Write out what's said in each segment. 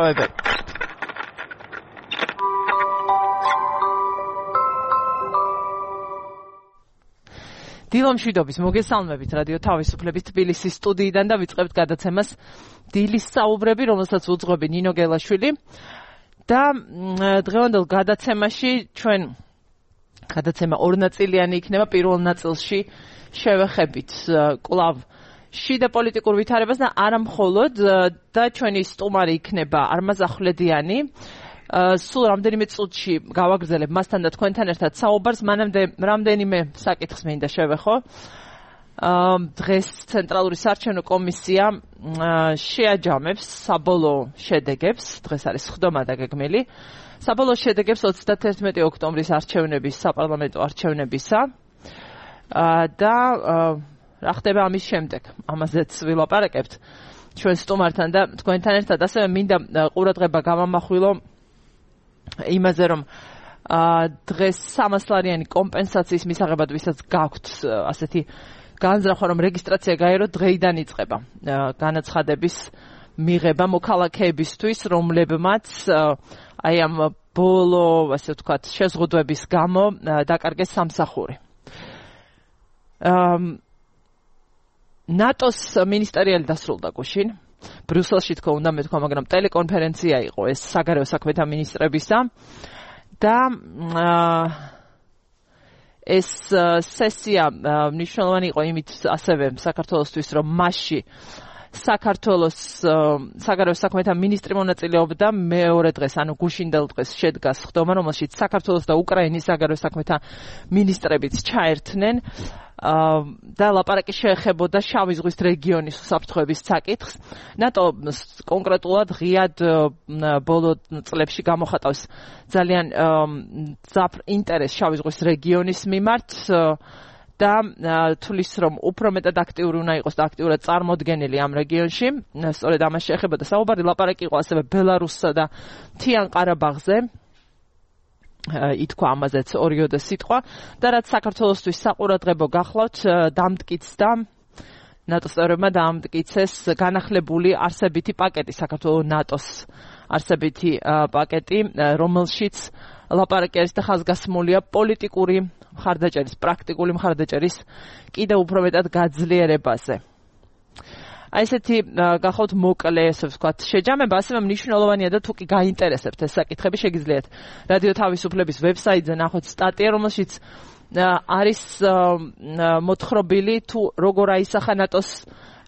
განსაკუთრებები. დილო მშვიდობის მოგესალმებით რადიო თავისუფლების თბილისის სტუდიიდან და ვიწყებთ გადაცემას დილის საუბრები, რომელსაც უძღვები ნინო გელაშვილი და დღევანდელ გადაცემაში ჩვენ გადაცემა ორნაწილიანი იქნება. პირველ ნაწილში შევეხებით კვლავ შიდა პოლიტიკურ ვითარებას და არა მხოლოდ და ჩვენი სტუმარი იქნება არმაზ ახვლედიანი. სულ რამდენიმე წუთში გავაგრძელებ მასთან და თქვენთან ერთად საუბარს. მანამდე რამდენიმე საკითხს მინდა შევეხო. დღეს ცენტრალური საარჩევნო კომისია შეაჯამებს საბოლოო შედეგებს. დღეს არის სხდომა დაგეგმილი. საბოლოო შედეგებს 31 ოქტომბრის არჩევნების, საპარლამენტო არჩევნებისა და რა ხდება ამის შემდეგ. ამაზეც ვილაპარაკებთ ჩვენ სტუმართან და თქვენთან ერთად. ასევე მინდა ყურადღება გავამახვილო იმაზე, რომ დღეს 300 ლარიანი კომპენსაციის მისაღებად, ვისაც გაქვთ ასეთი განზრახვა, რომ რეგისტრაცია გაეროთ, დღეიდან იწყება განაცხადების მიღება მოქალაქეებისთვის, რომლებმაც აი ამ ბოლო, ასე ვთქვათ, შეზღუდვების გამო დაკარგეს სამსახური. ნატოს მინისტერიალი დასრულდა გუშინ. ბრიუსელში თქო უნდა მეთქვა, მაგრამ ტელეკონფერენცია იყო ეს საგარეო საქმეთა მინისტრებისა და ეს სესია მნიშვნელოვანი იყო იმით ასევე საქართველოსთვის, რომ მასში საქართველოს საგარეო საქმეთა მინისტრი მონაწილეობდა. მეორე დღეს, ანუ გუშინდელ დღეს შედგა სხდომა, რომელშიც საქართველოს და უკრაინის საგარეო საქმეთა მინისტრებიც ჩაერთნენ და ლაპარაკი შეეხებოდა შავი ზღვის რეგიონის უსაფრთხოების საკითხს. ნატო კონკრეტულად ღიად ბოლო წლებში გამოხატავს ძალიან ძაფრ ინტერესს შავი ზღვის რეგიონის მიმართ და თulis რომ უფრო მეტად აქტიური უნდა იყოს და აქტიურად წარმოდგენილი ამ რეგიონში. სწორედ ამას შეეხებოდა საუბარი. ლაპარაკი იყო ასევე ბელარუსსა და მთიან ყარაბაღზე. ითქვა ამაზეც 2 სიტყვა და რაც საქართველოსთვის საყურადღებო გახლავთ, დამტკიცდა ნატოს წევრებმა დამტკიცეს განახლებული არსებითი პაკეტი, საქართველოს ნატოს არსებითი პაკეტი, რომელშიც ლაპარაკი არის და ხაზგასმულია პოლიტიკური მხარდაჭერის, პრაქტიკული მხარდაჭერის კიდევ უფრო მეტად გაძლიერებაზე. აი ესეთი გახავთ მოკლე, ესე ვთქვათ, შეჯამება. ასევე მნიშვნელოვანია და თუ კი გაინტერესებთ ეს საკითხები, შეგიძლიათ რადიო თავისუფლების ვებსაიტზე ნახოთ სტატია, რომელშიც არის მოთხრობილი თუ როგორ აისახა ნატოს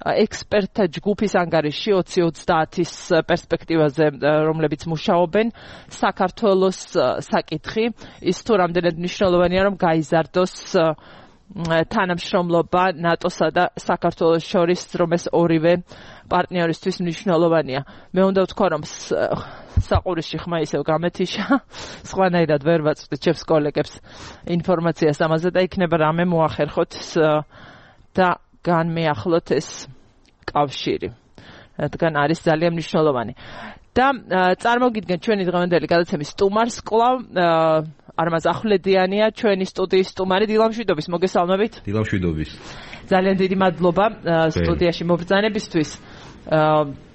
ექსპერტთა ჯგუფის ანგარიში 2030-ის პერსპექტივაზე, რომლებიც მუშაობენ საქართველოს საკითხი. ის თუ რამდენად მნიშვნელოვანია, რომ გაიზარდოს თანამშრომლობა ნატოსა და საქართველოს შორის, რომ ეს ორივე პარტნიორისთვის მნიშვნელოვანია. მე უნდა ვთქვა, რომ საყურისში ხმა ისევ გამეთიშა, სხვანაირად ვერ ვაწვდით ჩემს კოლეგებს ინფორმაციას ამაზე და იქნება რამე მოახერხოთ და განმეახლოთ ეს კავშირი, რადგან არის ძალიან მნიშვნელოვანი. და წარმოგიდგენთ ჩვენი დღევანდელი გადაცემის სტუმარს, კვლავ არმაზ ახვლედიანია, ჩვენი სტუდიის სტუმარი. დილამშვიდობის, მოგესალმებით. დილამშვიდობის. ძალიან დიდი მადლობა სტუდიაში მობრძანებისთვის.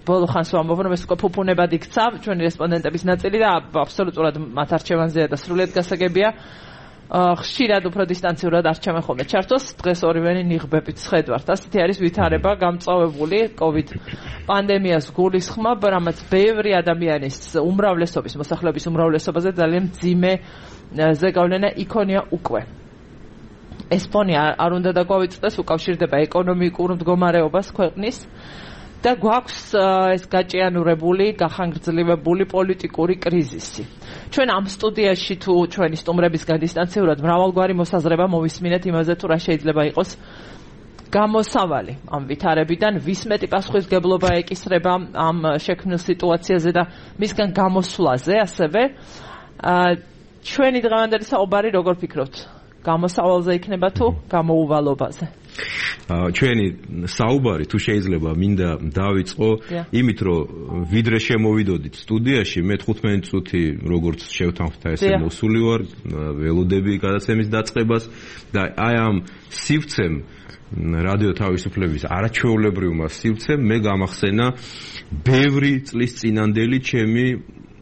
ბოლო ხანს ვამბობ, რომ ეს უკვე ფუფუნებად იქცა ჩვენი რესპონდენტების ნაწილი და აბსოლუტურად მათ არჩევანზეა და სრულიად გასაგებია. ხშირად უფრო დისტანციურად არჩევენ ხოლმე ჩართოს. დღეს ორივენი ნიღბებით სხედვართ. ასეთი არის ვითარება გამწვავებული COVID პანდემიას გულისხმობ, რამაც ბევრი ადამიანის უმრავლესობის, მოსახლეობის უმრავლესობაზე ძალიან მძიმე ზეგავლენა იქონია უკვე. ეს ფონი არ უნდა დაგვავიწყდეს, უკავშირდება ეკონომიკურ მდგომარეობას ქვეყნის და გვაქვს ეს გაჭიანურებული, გახანგრძლივებული პოლიტიკური კრიზისი. ჩვენ ამ სტუდიაში თუ ჩვენი სტუმრებისგან დისტანციურად მრავალგვარი მოსაზრება მოვისმინეთ იმაზე, თუ რა შეიძლება იყოს გამოსავალი ამ ვითარებიდან, ვის მეტი პასუხისმგებლობა ეკისრება ამ შექმნილ სიტუაციაზე და მისგან გამოსვლაზე. ასევე ჩვენი დღევანდელი საუბარი, როგორ ფიქრობთ, გამოსავალზე იქნება თუ გამოუვალობაზე? ჩვენი საუბარი თუ შეიძლება მინდა დავიწყო იმით რომ ვიდრე შემოვიდოდით სტუდიაში მე 15 წუთი როგორც შევთანხმდა ესე მოსული ვარ ველოდები გადაცემის დაწყებას და აი ამ სივრცემ რადიო თავისუფლების არაჩვეულებრივმა სივრცემ მე გამახსენა ბევრი წლის წინანდელი ჩემი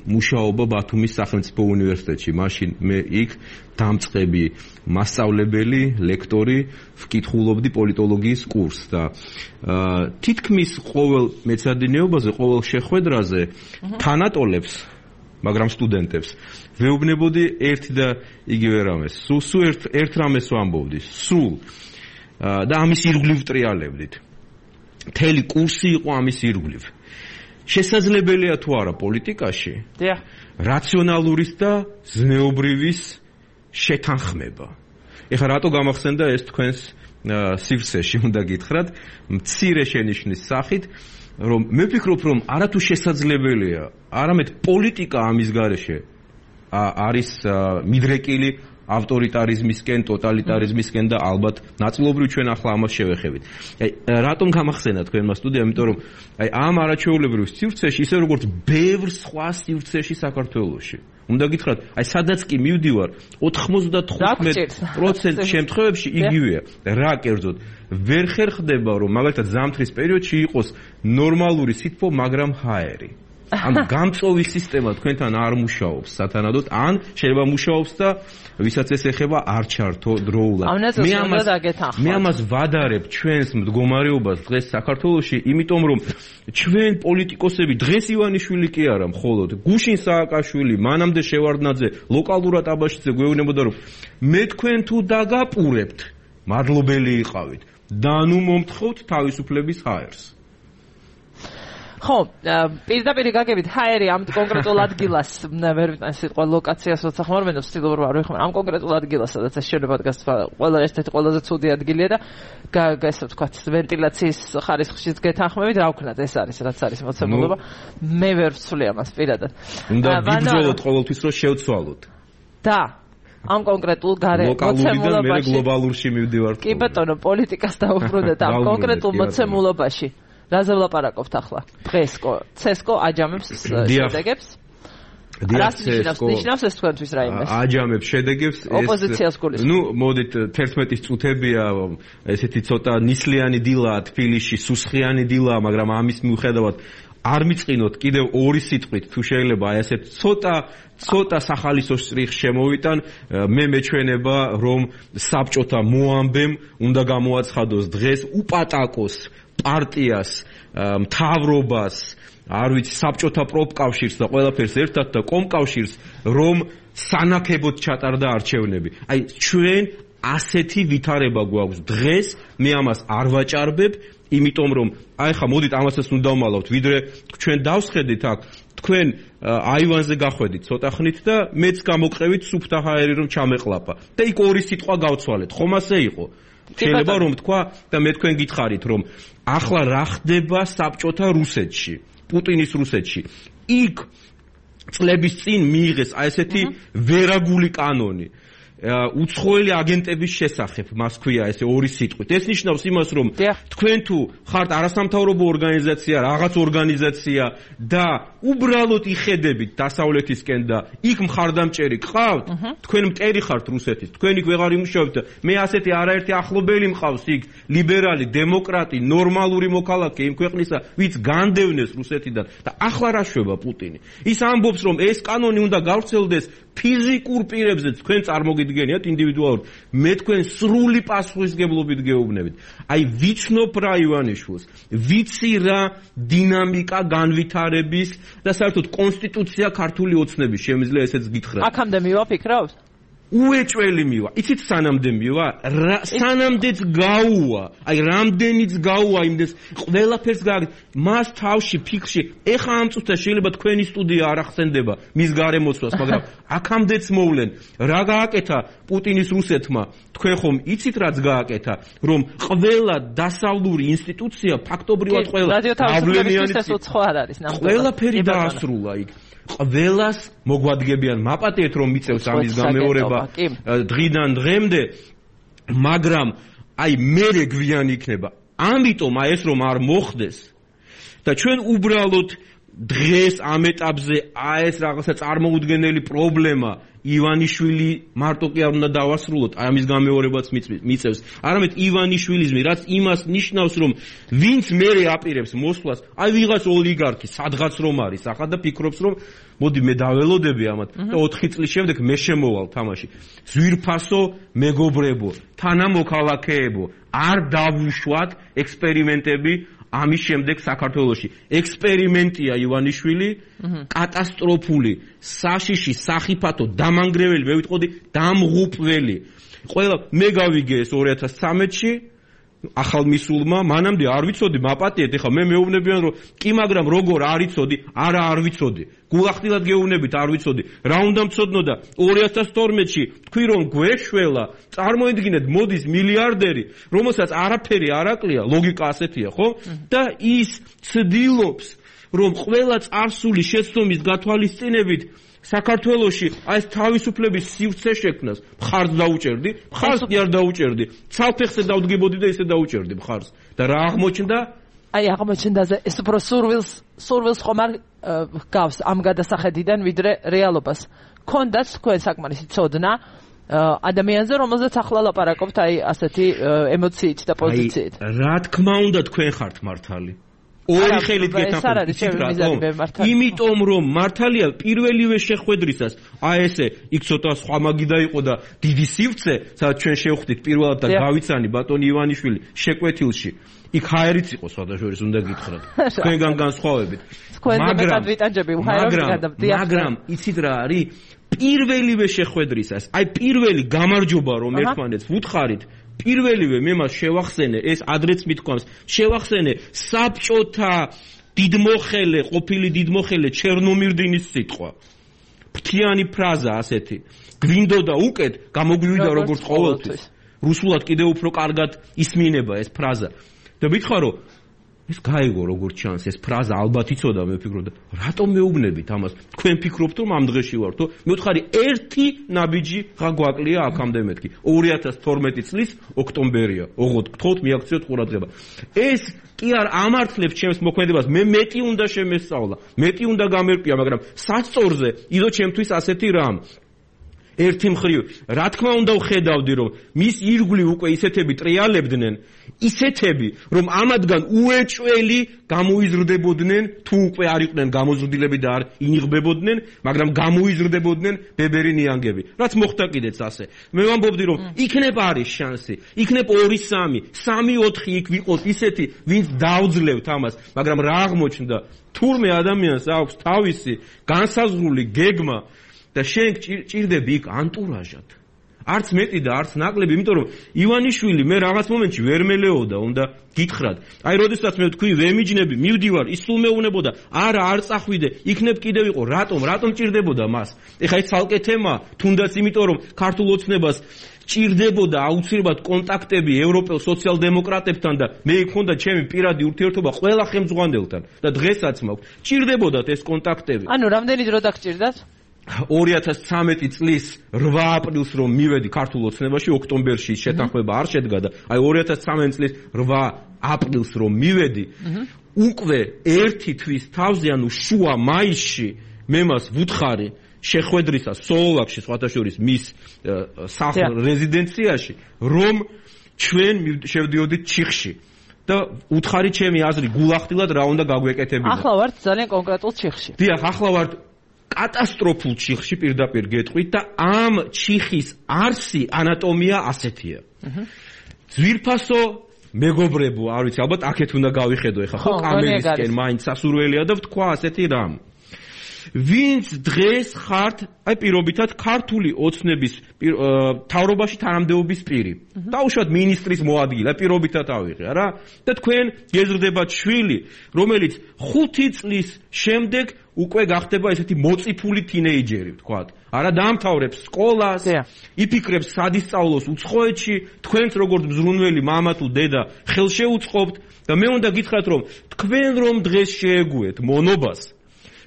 მუშაობა ბათუმის სახელმწიფო უნივერსიტეტში. მაშინ მე იქ დამწყები მასწავლებელი, ლექტორი, ვკითხულობდი პოლიტოლოგიის კურსს და თითქმის ყოველ მეცადინეობაზე, ყოველ შეხვედრაზე თანატოლებს, მაგრამ სტუდენტებს ვეუბნებოდი ერთი და იგივე რამეს. სულ ერთ რამეს ვამბობდი, სულ და ამის ირგვლივ ტრიალებდით. მთელი კურსი იყო ამის ირგვლივ. შესაძლებელია თუ არა პოლიტიკაში რაციონალურის და ზნეობრივის შეთანხმება. ეხლა რატო გამახსენდა ეს თქვენს სივრცეში უნდა გითხრათ მცირე შენიშვნის სახით რომ მე ვფიქრობ რომ არათუ შესაძლებელია არამედ პოლიტიკა ამის გარეშე არის მიდრეკილი ავტორიტარიზმისკენ, ტოტალიტარიზმისკენ და ალბათ ნაწილობრივ ჩვენ ახლა ამას შევეხებით. აი რატომ გამახსენა თქვენმა სტუდიამ, იმიტომ რომ აი ამ არაჩვეულებრივ სივრცეში ისე როგორც ბევრ სხვა სივრცეში საქართველოში. უნდა გითხრათ, აი სადაც კი მივდივარ 95% შემთხვევებში იგივეა. რა კერძოდ, ვერ ხერხდება რომ მაგალითად ზამთრის პერიოდში იყოს ნორმალური სითბო, მაგრამ ჰაერი. ან გამწვევის სისტემა თქვენთან არ მუშაობს სათანადოდ, ან შეიძლება მუშაობს და ვისაც ეს ეხება არ ჩართო დროულად. მე ამას ვადარებ ჩვენს მდგომარეობას დღეს საქართველოში, იმიტომ რომ ჩვენ პოლიტიკოსები დღეს ივანიშვილი კი არა მხოლოდ, გუშინ სააკაშვილი, მანამდე შევარდნაძე, ლოკალურად აბაშიძე გვეუბნებოდა რომ მე თქვენ თუ დაგაპურებთ, მადლობელი იყავით და ნუ მომთხოვთ თავისუფლების ჰაერს. ხო, პირდაპირ გაგებით ჰაერი ამ კონკრეტულ ადგილას ვერ ვიტან სიტყვა ლოკაციას როცა ხმარობენ ვცდილობ რომ არ ვიხმარ ამ კონკრეტულ ადგილას სადაც ეს შეიძლება დგას ყველა ერთ-ერთი ყველაზე ცუდი ადგილია და ესე ვთქვათ ვენტილაციის ხარისხშიც გეთანხმებით რა ვქნათ ეს არის რაც არის მოცემულობა მე ვერ ვცვლი ამას პირადად უნდა გიბრძოლოთ ყოველთვის რომ შევცვალოთ და ამ კონკრეტულ მოცემულობაში მე გლობალურში მივდივარ კი ბატონო პოლიტიკას დაუბრუნდეთ ამ კონკრეტულ მოცემულობაში რაზე ვლაპარაკობთ ახლა? დღესკო, ცესკო აჯამებს შედეგებს? რას ნიშნავს ეს თქვენთვის რაიმე? აჯამებს შედეგებს ოპოზიციას გულისხმობ. ნუ მოდით 11 წუთებია ესეთი ცოტა ნისლიანი დილაა თბილისში, სუსხიანი დილაა, მაგრამ ამის მიუხედავად არ მიწყინოთ კიდევ ორი სიტყვით თუ შეიძლება აი ესე ცოტა სახალისო სტრიხ შემოვიტან მე მეჩვენება რომ საბჭოთა მოამბემ უნდა გამოაცხადოს დღეს უპატაკოს პარტიას, მთავრობას, არ ვიცი, საბჭოთა პროფკავშირს და ყველაფერს ერთად და კომკავშირს, რომ სანაქებოდ ჩატარდა არჩევნები. აი, ჩვენ ასეთი ვითარება გვაქვს დღეს, მე ამას არ ვაჭარბებ, იმიტომ რომ აი ხა მოდით ამასაც უნდა ვმალავთ, ვიდრე ჩვენ დავსხედით აქ, თქვენ აივანზე გახვედით ცოტა ხნით და მეც გამოგყევით სუფთა ჰაერი რომ ჩამეყლაპა. და იქ ორი სიტყვა გავცვალეთ. ხომ ასე იყო? შეიძლება რომ თქვა და მე თქვენ გითხარით რომ ახლა რა ხდება საბჭოთა რუსეთში, პუტინის რუსეთში. იქ წლების წინ მიიღეს აი ესეთი ვერაგული კანონი. უცხოელი აგენტების შესახებ მას ქვია ესე ორი სიტყვით. ეს ნიშნავს იმას რომ თქვენ თუ ხართ არასამთავრობო ორგანიზაცია, რაღაც ორგანიზაცია და უბრალოდ იხედებით დასავლეთისკენ და იქ მხარდამჭერი გყავთ, თქვენ მტერი ხართ რუსეთის, თქვენ იქ ვეღარ იმუშავებთ და მე ასეთი არაერთი ახლობელი მყავს იქ, ლიბერალი, დემოკრატი, ნორმალური მოქალაქე იმ ქვეყნისა, ვინც განდევნეს რუსეთიდან და ახლა რა შვება პუტინი. ის ამბობს რომ ეს კანონი უნდა გავრცელდეს ფიზიკურ პირებზე, თქვენ წარმოგიდგენიათ ინდივიდუალურად. მე თქვენ სრული პასუხისგებლობით გეუბნებით. აი ვიცნობ რა ივანიშვილს, ვიცი რა დინამიკა განვითარების და საერთოდ კონსტიტუცია ქართული ოცნების შემიძლია ესეც გითხრათ. აქამდე მივაფიქროთ? უეჭველი მივა. იცით სანამდე მივა? სანამდეც გაუვა. აი რამდენიც გაუვა იმდეს ყველაფერს გააკეთე. მას თავში ფიქრში ეხა ამ წუთას შეიძლება თქვენი სტუდია არ ახსენდება მის გარემოცვას, მაგრამ აქამდეც მოვლენ. რა გააკეთა პუტინის რუსეთმა? თქვენ ხომ იცით რაც გააკეთა, რომ ყველა დასავლური ინსტიტუცია ფაქტობრივად ყველა ყველაფერი დაასრულა იქ. ყველას მოგვადგებიან მაპატიეთ რომ მიწევს ამის გამეორება დღიდან დღემდე, მაგრამ აი მერე გვიანი იქნება. ამიტომ აი ეს რომ არ მოხდეს და ჩვენ უბრალოდ დღეს ამ ეტაპზე აი ეს რაღაცა წარმოუდგენელი პრობლემა ივანიშვილი მარტო კი არ უნდა დავასრულოთ, აი ამის გამეორებაც მიწევს. არამედ ივანიშვილიზმი, რაც იმას ნიშნავს, რომ ვინც მერე აპირებს მოსვლას, აი ვიღაც ოლიგარქი, სადღაც რომ არის, ახლა და ფიქრობს, რომ მოდი მე დაველოდები ამათ და 4 წლის შემდეგ მე შემოვალ თამაში. ზვირფასო მეგობრებო, თანამოქალაქეებო, არ დავუშვათ ექსპერიმენტები ამის შემდეგ საქართველოში. ექსპერიმენტია ივანიშვილი, კატასტროფული, საშიში, სახიფათო, დამანგრეველი, მე ვიტყოდი, დამღუპველი. ყველა მე გავიგე ეს 2013-ში ახალმისულმა, მანამდე არ ვიცოდი, მაპატიეთ, ეხლა მე მეუბნებიან, რომ კი, მაგრამ როგორ არ იცოდი, არა არ ვიცოდი. გულახდილად გეუბნებით, არ ვიცოდი. რა უნდა მცოდნო და 2012-ში თქვი რომ გვეშველა, წარმოიდგინეთ, მოდის მილიარდერი, რომელსაც არაფერი არ აკლია, ლოგიკა ასეთია, ხო? და ის ცდილობს, რომ ყველა წარსული შეცდომის გათვალისწინებით საქართველოში აი ეს თავისუფლების სივრცე შექმნას. მხარს დაუჭერდი, მხარს კი არ დაუჭერდი. ცალფეხზე დავდგებოდი და ისე დაუჭერდი მხარს. და რა აღმოჩნდა? აი აღმოჩნდა ეს უფრო სურვილს ხომ არ გავს ამ გადასახედიდან ვიდრე რეალობას. ქონდათ თქვენ საკმარისი ცოდნა ადამიანზე, რომელზეც ახლა ლაპარაკობთ აი ასეთი ემოციით და პოზიციით. რა თქმა უნდა თქვენ ხართ მართალი. ორი ხელით გეთანხმებით. იმიტომ რომ მართალია პირველივე შეხვედრისას აი ესე იქ ცოტა სხვა მაგიდა იყო და დიდი სივრცე, სადაც ჩვენ შევხვდით პირველად და გავიცანი ბატონი ივანიშვილი შეკვეთილში. იქ ჰაერიც იყო სხვადასხვა უნდა გითხრათ. თქვენგან განსხვავებით. მაგრამ იცით რა არის? პირველივე შეხვედრისას, აი პირველი გამარჯობა რომ ერთმანეთს ვუთხარით, პირველივე მე მას შევახსენე, ეს ადრეც მithქვამს, შევახსენე საბჭოთა დიდმოხელე, ყოფილი დიდმოხელე ჩერნომირდინის სიტყვა. ფრთიანი ფრაზა ასეთი. გვინდოდა უკეთ, გამოგვივიდა როგორც ყოველთვის. რუსულად კიდევ უფრო კარგად ისმინება ეს ფრაზა. და მითხარო, ეს გაიგო როგორც ჩანს, ეს ფრაზა ალბათ იცოდა, მე ვფიქრობდა, რატომ მეუბნებით ამას? თქვენ ფიქრობთ რომ ამ დღეში ვართო? მე ვთხარი, ერთი ნაბიჯი ხა გვაკლია აქამდე მეთქი. 2012 წლის ოქტომბერია. ოღონდ გთხოვთ მიაქციოთ ყურადღება. ეს კი არ ამართლებს ჩემს მოქმედებას, მე მეტი უნდა შემესწავლა, მეტი უნდა გამერკვია, მაგრამ სასწორზე იდო ჩემთვის ასეთი რამ. ერთი მხრივ, რა თქმა უნდა ვხედავდი, რომ მის ირგვლივ უკვე ისეთები ტრიალებდნენ, ისეთები, რომ ამათგან უეჭველი გამოიზრდებოდნენ, თუ უკვე არ იყვნენ გამოზრდილები და არ ინიღბებოდნენ, მაგრამ გამოიზრდებოდნენ ბებერი ნიანგები. რაც მოხდა კიდეც ასე. მე ვამბობდი, რომ იქნებ არის შანსი, იქნებ 2-3, 3-4 იქ ვიყოთ ისეთი, ვინც დავძლევთ ამას, მაგრამ რა აღმოჩნდა? თურმე ადამიანს აქვს თავისი განსაზღვრული გეგმა და შენ ჭირდები იქ ანტურაჟად. არც მეტი და არც ნაკლები, იმიტომ რომ ივანიშვილი მე რაღაც მომენტში ვერ მელეოდა, უნდა გითხრათ. აი, როდესაც მე თქვი ვემიჯნები, მივდივარ, ის სულ მეუნებოდა, არა, არ წახვიდე, იქნებ კიდევ იყო, რატომ ჭირდებოდა მას? ეხა ეს ცალკე თემა, თუნდაც იმიტომ რომ ქართულ ოცნებას ჭირდებოდა აუცილებლად კონტაქტები ევროპელ სოციალ-დემოკრატებთან და მე მქონდა ჩემი პირადი ურთიერთობა ყველა ხელმძღვანელთან და დღესაც მაქვს. ჭირდებოდათ ეს კონტაქტები. ანუ რამდენი დრო დაგჭირდათ? 2013 წლის 8 აპრილს რომ მივედი ქართულ ოცნებაში, ოქტომბერში შეთანხმება არ შედგა და აი 2013 წლის 8 აპრილს რომ მივედი, უკვე ერთი თვის თავზე, ანუ შუა მაისში მე მას ვუთხარი შეხვედრისას სოლოლაკში, სხვათა შორის მის რეზიდენციაში, რომ ჩვენ შევდიოდით ჩიხში. და უთხარი ჩემი აზრი გულახდილად რა უნდა გაგვეკეთებინა. ახლა ვართ ძალიან კონკრეტულ ჩიხში. დიახ, ახლა ვართ კატასტროფულ ჩიხში პირდაპირ გეტყვით და ამ ჩიხის არსი ანატომია ასეთია. ძვირფასო მეგობრებო, არ ვიცი, ალბათ აქეთ უნდა გავიხედო ეხა ხო კამერისკენ, მაინც სასურველია და ვთქვა ასეთი რამ. ვინც დღეს ხართ, აი პირობითად ქართული ოცნების თავრობაში თანამდებობის პირი. დაუშვათ მინისტრის მოადგილე, პირობითად ავიღე რა. და თქვენ გეზრდებათ შვილი, რომელიც 5 წლის შემდეგ უკვე გახდება ესეთი მოწიფული თინეიჯერი, ვთქვათ. არა დაამთავრებს სკოლას, იფიქრებს სად ისწავლოს უცხოეთში, თქვენც როგორც მზრუნველი მამა თუ დედა ხელშეუწყობთ და მე უნდა გითხრათ, რომ თქვენ რომ დღეს შეეგუეთ მონობას,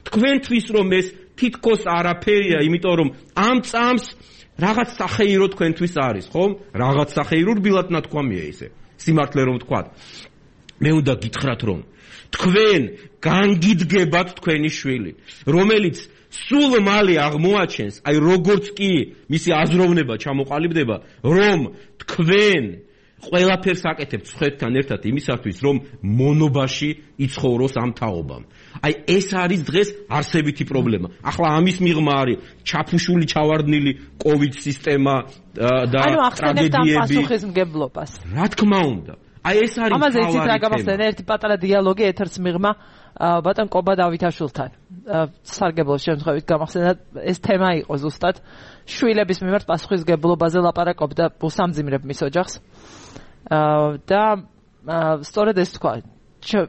თქვენთვის რომ ეს თითქოს არაფერია, იმიტომ რომ ამ წამს რაღაც სახეირო თქვენთვის არის, ხომ? რაღაც სახეირო რბილად ნათქვამია ისე. სიმართლე რომ ვთქვათ. მე უნდა გითხრათ რომ თქვენ განგიდგებათ თქვენი შვილი, რომელიც სულ მალე აღმოაჩენს, აი როგორც კი მისი აზროვნება ჩამოყალიბდება, რომ თქვენ ყველაფერს აკეთებთ სხვებთან ერთად იმისათვის, რომ მონობაში იცხოვროს ამ თაობამ. აი ეს არის დღეს არსებითი პრობლემა. ახლა ამის მიღმა არის ჩაფუშული, ჩავარდნილი COVID სისტემა და ტრაგედიები. ანუ პასუხისმგებლობას. რა თქმა უნდა. აი ეს არის ამაზე იცით რა გამახსენე ერთი პატარა დიალოგი ეთერს მიღმა ბატონ კობა დავითაშვილთან. სარგებლოს შემთხვევით გამახსენდა ეს თემა იყო ზუსტად შვილების მიმართ პასუხისმგებლობაზე ლაპარაკობდა უსამძიმრებ მის ოჯახს. და სწორედ ეს თქვა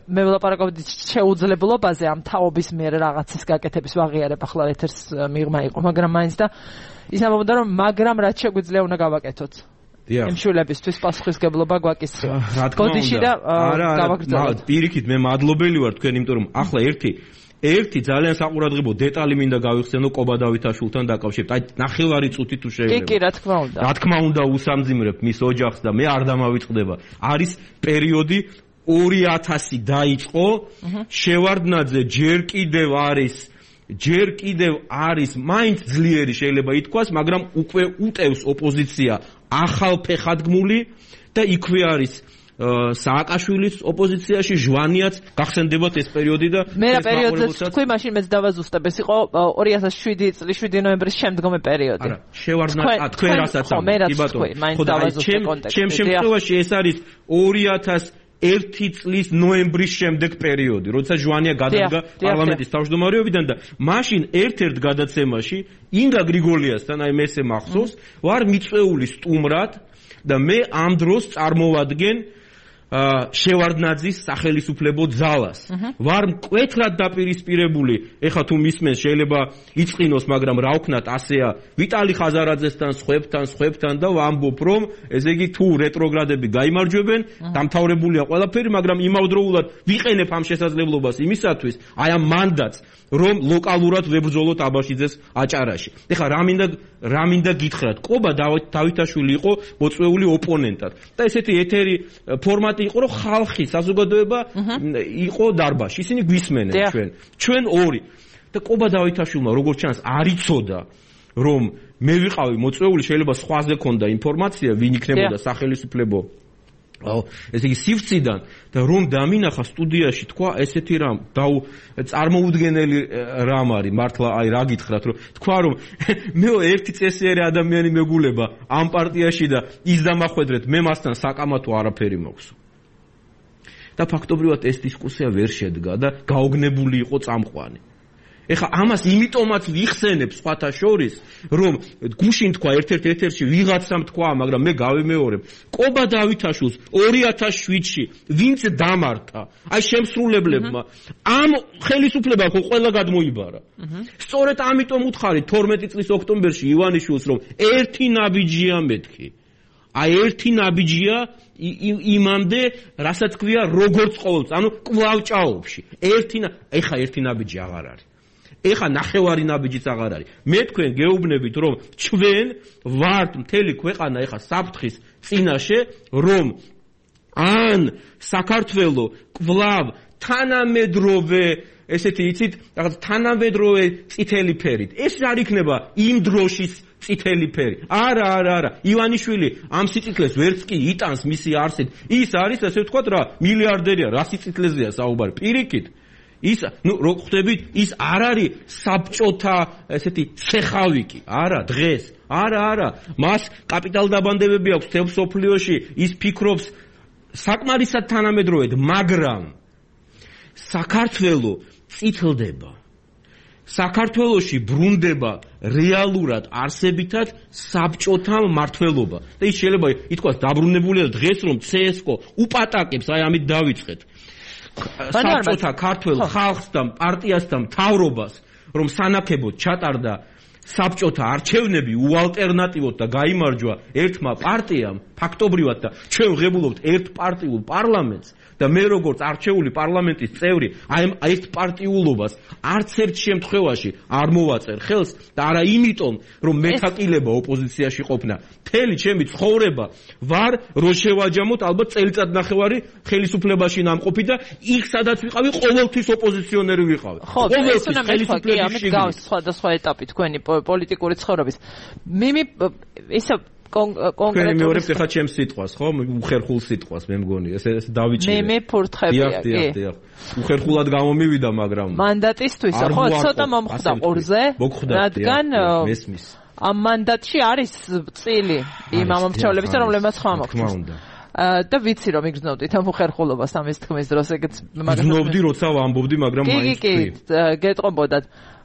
მე ვლაპარაკობდი შეუძლებლობაზე ამ თაობის მიერ რაღაცის გაკეთების ვაღიარებ ახლა ეთერს მიღმა იყო, მაგრამ მაინც და ის ამბობდა რომ მაგრამ რაც შეგვიძლია უნდა გავაკეთოთ. იმ შვილებისთვის პასუხისმგებლობა გვაკისრია. გოდიში და გავაგრძელოთ. პირიქით მე მადლობელი ვარ თქვენ, იმიტომ რომ ახლა ერთი ძალიან საყურადღებო დეტალი მინდა გავიხსენო კობა დავითაშვილთან დაკავშირებით. აი ნახევარი წუთი თუ შეიძლება. კი, რა თქმა უნდა. რა თქმა უნდა უსამძიმრებ მის ოჯახს და მე არ დამავიწყდება. არის პერიოდი 2000 დაიწყო, შევარდნაძე ჯერ კიდევ არის მაინც ძლიერი შეიძლება ითქვას, მაგრამ უკვე უტევს ოპოზიცია ახალფეხადგმული და იქვე არის სააკაშვილის ოპოზიციაში, ჟვანიაც გახსენდებათ ეს პერიოდი და მე რა პერიოდზეც თქვი, მაშინ მეც დავაზუსტებ, ეს იყო 2007 წლის 7 ნოემბრის შემდგომი პერიოდი. არა, შევარდნაძე თქვენ რასაც ამბობთ, კი ბატონო. ჩემ შემთხვევაში ეს არის 2001 წლის ნოემბრის შემდეგ პერიოდი, როცა ჟვანია გადადგა პარლამენტის თავმჯდომარეობიდან და მაშინ ერთ-ერთ გადაცემაში ინგა გრიგოლიასთან, აი მესე მახსოვს, ვარ მიწვეული სტუმრად და მე ამ დროს წარმოვადგენ შევარდნაძის სახელისუფლებო ძალას. ვარ მკვეთრად დაპირისპირებული, ეხლა თუ მისმენს შეიძლება იწყინოს, მაგრამ რა ვქნათ, ასეა ვიტალი ხაზარაძესთან, სხვებთან და ვამბობ, რომ ესე იგი თუ რეტროგრადები გაიმარჯვებენ, დამთავრებულია ყველაფერი, მაგრამ იმავდროულად ვიყენებ ამ შესაძლებლობას იმისათვის, აი ამ მანდატს, რომ ლოკალურად ვებრძოლოთ აბაშიძეს აჭარაში. ეხლა რა მინდა გითხრათ, კობა დავითაშვილი იყო მოწვეული ოპონენტად და ესეთი ეთერი ფორმატი იყო, რომ ხალხი, საზოგადოება იყო დარბაზში. ისინი გვისმენენ ჩვენ ორი. და კობა დავითაშვილმა როგორც ჩანს არ იცოდა, რომ მე ვიყავი მოწვეული, შეიძლება სხვაზე ქონდა ინფორმაცია, ვინ იქნებოდა სახელისუფლებო ესე იგი სივრციდან და რომ დამინახა სტუდიაში თქვა ესეთი რამ წარმოუდგენელი რამ არის მართლა აი რა გითხრათ რომ თქვა რომ მე ერთი წესიერი ადამიანი მეგულება ამ პარტიაში და ის დამახვედრეთ მე მასთან საკამათო არაფერი მაქვს და ფაქტობრივად ეს დისკუსია ვერ შედგა და გაოგნებული იყო წამყვანი. ეხლა ამას იმიტომაც ვიხსენებ სხვათა შორის, რომ გუშინ თქვა ერთ-ერთ ეთერში ვიღაცამ თქვა, მაგრამ მე გავიმეორებ. კობა დავითაშვილს 2007-ში ვინც დამართა, აი შემსრულებლებმა, ამ ხელისუფლებამ ხო ყველა გადმოიბარა. სწორედ ამიტომ უთხარი 12 წლის ოქტომბერში ივანიშვილს, რომ ერთი ნაბიჯია მეთქი. აი ერთი ნაბიჯია იმამდე, რასაც ქვია როგორც ყოველთვის, ანუ კვლავ-ჭაობში. ეხა ერთი ნაბიჯი აღარ არის. ეხა ნახევარი ნაბიჯიც აღარ არის. მე თქვენ გეუბნებით, რომ ჩვენ ვართ მთელი ქვეყანა ეხა საფრთხის წინაშე, რომ ან საქართველო კვლავ თანამედროვე ესეთი იცით, რაღაც თანამედროვე წითელი ფერით. ეს არ იქნება იმ დროშის წითელი ფერი. არა. ივანიშვილი ამ სიციკლეს ვერც კი იტანს მისი არსით. ის არის, ასე ვთქვათ რა, მილიარდერია, რა სიციკლეზეა საუბარი. პირიქით. ის, რო ხვდებით, ის არ არის საბჭოთა ესეთი ცეხავიკი. არა, დღეს. არა. მას კაპიტალდაბანდებები აქვს თელ სოფლიოში, ის ფიქრობს საკმარისად თანამედროვედ, მაგრამ საქართველო წითლდება. საქართველოში ბრუნდება რეალურად არსებითად საბჭოთა მმართველობა. და ის შეიძლება ითქვას დაბრუნებულია დღეს რომ CSKO უპატაკებს, აი ამით დავიწყეთ. საბჭოთა ქართველ ხალხს და პარტიას და მთავრობას, რომ სანაკებოდ ჩატარდა საბჭოთა არჩევნები უალტერნატივოდ და გაიმარჯვა ერთმა პარტიამ, ფაქტობრივად და ჩვენ ვღებულობთ ერთპარტიულ პარლამენტს და მე როგორც არჩეული პარლამენტის წევრი, აი ეს პარტიულობას არც ერთ შემთხვევაში არ მოვაწერ ხელს და არა იმიტომ, რომ მეთაკილება ოპოზიციაში ყოფნა. მთელი ჩემი ცხოვრება ვარ რო შევაჯამოთ ალბათ წელიწადნახევარი ხელისუფლებაში ნამყოფი და იქ სადაც ვიყავი ყოველთვის ოპოზიციონერი ვიყავი. ხო, ეს უნდა მეთქვა, ამით გავს სხვადასხვა ეტაპი თქვენი პოლიტიკური ცხოვრების. ისე კონკრეტულად მეორებ ხა ჩემს სიტყვას, ხო? უხერხულ სიტყვას მე მგონი. ეს დავიჭირე. მე ფურთხებია, კი. დიახ. უხერხულად გამომივიდა, მაგრამ მანდატისთვის, ხო, ცოტა მომხდა ყურზე, რადგან მესმის. ამ მანდატში არის წილი იმ ამომრჩევლების, რომლებმაც ხმა მოხდა. და ვიცი რომ იგრძნობდით ამ უხერხულობას ამის თქმის დროს, ეგეც მაგრამ გრძნობდი, როცა ვამბობდი, მაგრამ მაინც კი, გეტყობოდათ.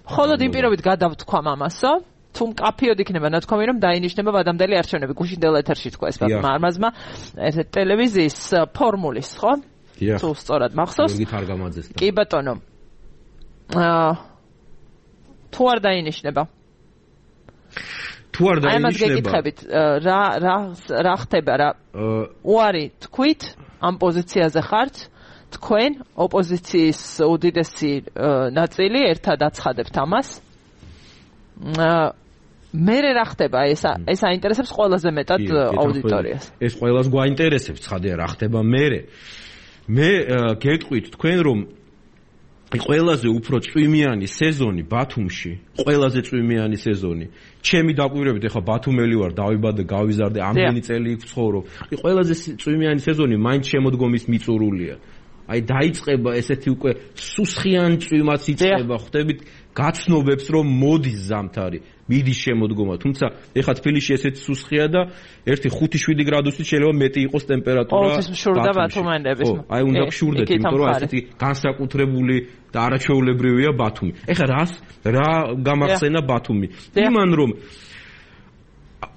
ხოლოდ იმ პირობით გადავთქვა ამასო. თუ მკაფიოდ იქნება ნათქვამი, რომ დაინიშნება ვადამდელი არჩევნები, გუშინდელ ეთერში თქვა ეს მარმაზმა ერთ ტელევიზიის ფორმულის, ხო? თუ სწორად მახსოვს. კი ბატონო. თუ არ დაინიშნება. თუ არ დაინიშნება. აი მას გეკითხებით, რა ხდება რა? უარი თქვით, ამ პოზიციაზე ხართ, თქვენ ოპოზიციის უდიდესი ნაწილი ერთად აცხადებთ ამას. მერე რა ხდება ეს აინტერესებს ყველაზე მეტად აუდიტორიას. ეს ყველას გვაინტერესებს, ცხადია რა ხდება მერე. მე გეტყვით თქვენ რომ ყველაზე უფრო წვიმიანი სეზონი ბათუმში, ყველაზე წვიმიანი სეზონი. ჩემი დაკვირვებით ეხა ბათუმელი ვარ, დავიბადე, გავიზარდე, ამდენი წელი იქ ვცხოვრობ. ყველაზე წვიმიანი სეზონი მაინც შემოდგომის მიწურულია. აი დაიწყება ესეთი უკვე სუსხიან წვიმაც იწყება, ხვდებით გაცნობებს რომ მოდის ზამთარი, მიდის შემოდგომა, თუმცა ეხა თბილისში ესეთი სუსხია და 1-5-7 გრადუსით შეიძლება მეტი იყოს ტემპერატურა. ყოველთვის მშურდა ბათუმელების. აი უნდა გშურდეთ, იმიტომ რომ ასეთი განსაკუთრებული და არაჩვეულებრივია ბათუმი. ეხა რა გამახსენა ბათუმი? იმან რომ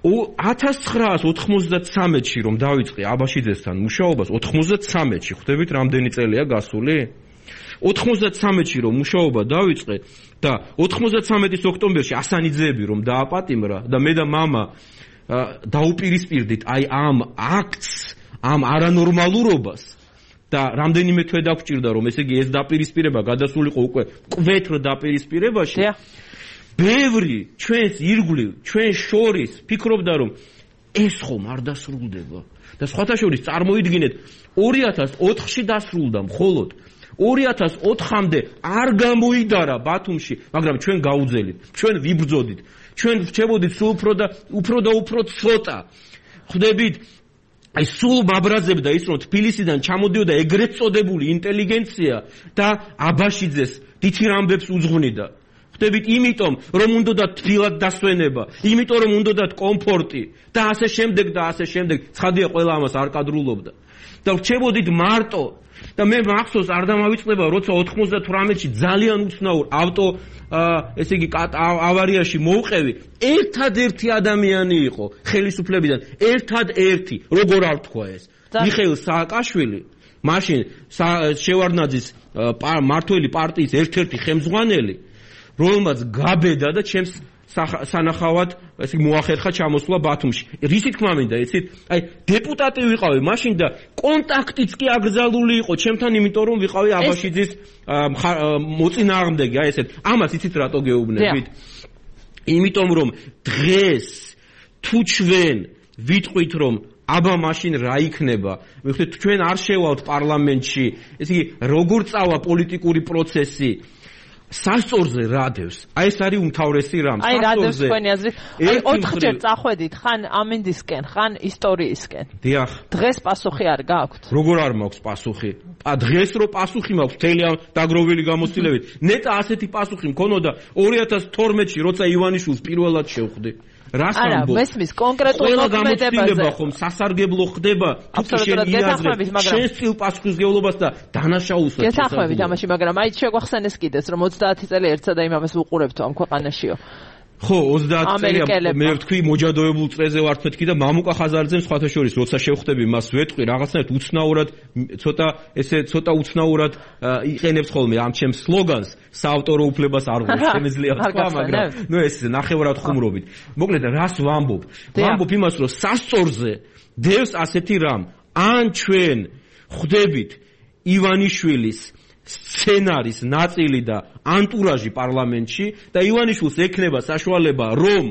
1993-ში რომ დავიწყე აბაშიძესთან მუშაობას, 93-ში, ხვდებით რამდენი წელია გასული? 93-ში რომ მუშაობა დავიწყე და 93-ის ოქტომბერში ასანიძეები რომ დააპატიმრა და მე და მამა დაუპირისპირდით აი ამ აქტს, ამ არანორმალურობას და რამდენიმე თვე დაგვჭირდა რომ ესე იგი ეს დაპირისპირება გადასულიყო უკვე კვეთრ დაპირისპირებაში. ბევრი ჩვენს ირგვლივ, ჩვენ შორის ფიქრობდა რომ ეს ხომ არ დასრულდება და სხვათა შორის წარმოიდგინეთ 2004-ში დასრულდა მხოლოდ 2004-მდე არ გამოიდარა ბათუმში, მაგრამ ჩვენ გაუძელით, ჩვენ ვიბრძოდით, ჩვენ რჩებოდით სულ უფრო და უფრო ცოტა. ხვდებით, აი სულ მაბრაზებდა ის რომ თბილისიდან ჩამოდიოდა ეგრეთ წოდებული ინტელიგენცია და აბაშიძეს დიდ რამბებს უძღვნიდა. ხვდებით, იმიტომ რომ უნდოდა თბილად დასვენება, იმიტომ რომ უნდოდა კომფორტი და ასე შემდეგ და ასე შემდეგ. ცხადია ყველა ამას არ კადრულობდა. და რჩებოდით მარტო და მე მახსოვს არ დამავიწყდება როცა 98-ში ძალიან უცნაურ ესე იგი ავარიაში მოვყევი, ერთადერთი ადამიანი იყო ხელისუფლებიდან, ერთადერთი, როგორ არ თქვა ეს, მიხეილ სააკაშვილი, მაშინ შევარდნაძის მართველი პარტიის ერთ-ერთი ხელმძღვანელი, რომელმაც გაბედა და ჩემს სანახავად ესე მოახერხა ჩამოსვლა ბათუმში. რისი თქმა მინდა, იცით? აი დეპუტატი ვიყავი მაშინ და კონტაქტიც კი აკრძალული იყო ჩემთან, იმიტომ რომ ვიყავი აბაშიძის მოწინააღმდეგე, აი ესეთ. ამას იცით რატო გეუბნებით? იმიტომ რომ დღეს თუ ჩვენ ვიტყვით რომ აბა მაშინ რა იქნება? მიხდით ჩვენ არ შევალთ პარლამენტში, ესე იგი როგორ წავა პოლიტიკური პროცესი? სასწორზე რადევს. აი ეს არის უმთავრესი რამ. აი რადევს თქვენი აზრით. აი 4-ჯერ წახვედით, ხან ამინდისკენ, ხან ისტორიისკენ. დიახ. დღეს პასუხი არ გაქვთ? როგორ არ მაქვს პასუხი? დღეს რო პასუხი მაქვს მთელი ამ დაგროვილი გამოცდილებით. ნეტა ასეთი პასუხი მქონოდა 2012-ში, როცა ივანიშვილს პირველად შევხვდი. რას ამბობ? არა, მესმის კონკრეტულ მოქმედებაზე. ხომ სასარგებლო ხდება, თუ შენ იაზრებ, შენ სტილ პასუხისგებლობას და დანაშაულსაც. გეთანხმებით ამაში, მაგრამ აი შეგვახსენეს კიდეც, რომ 30 წელი ერთსა და იმავეს უყურებთ ამ ქვეყანაშიო. ხო, 30 წელი მე ვთქვი მოჯადოებულ წრეზე ვართ მეთქი და მამუკა ხაზარაძემ სხვათა შორის როცა შევხვდები მას ვეთყვი რაღაცნაირად უცნაურად ცოტა უცნაურად იყენებს ხოლმე ამ ჩემს სლოგანს საავტორო უფლებას არ ღვევს შემიძლია თქვა, მაგრამ ნუ ეს ნახევრად ხუმრობით. მოკლედ რას ვამბობ? ვამბობ იმას, რომ სასწორზე დევს ასეთი რამ. ან ჩვენ ხვდებით ივანიშვილის სცენარის ნაწილი და ანტურაჟი პარლამენტში და ივანიშვილს ექნება საშუალება რომ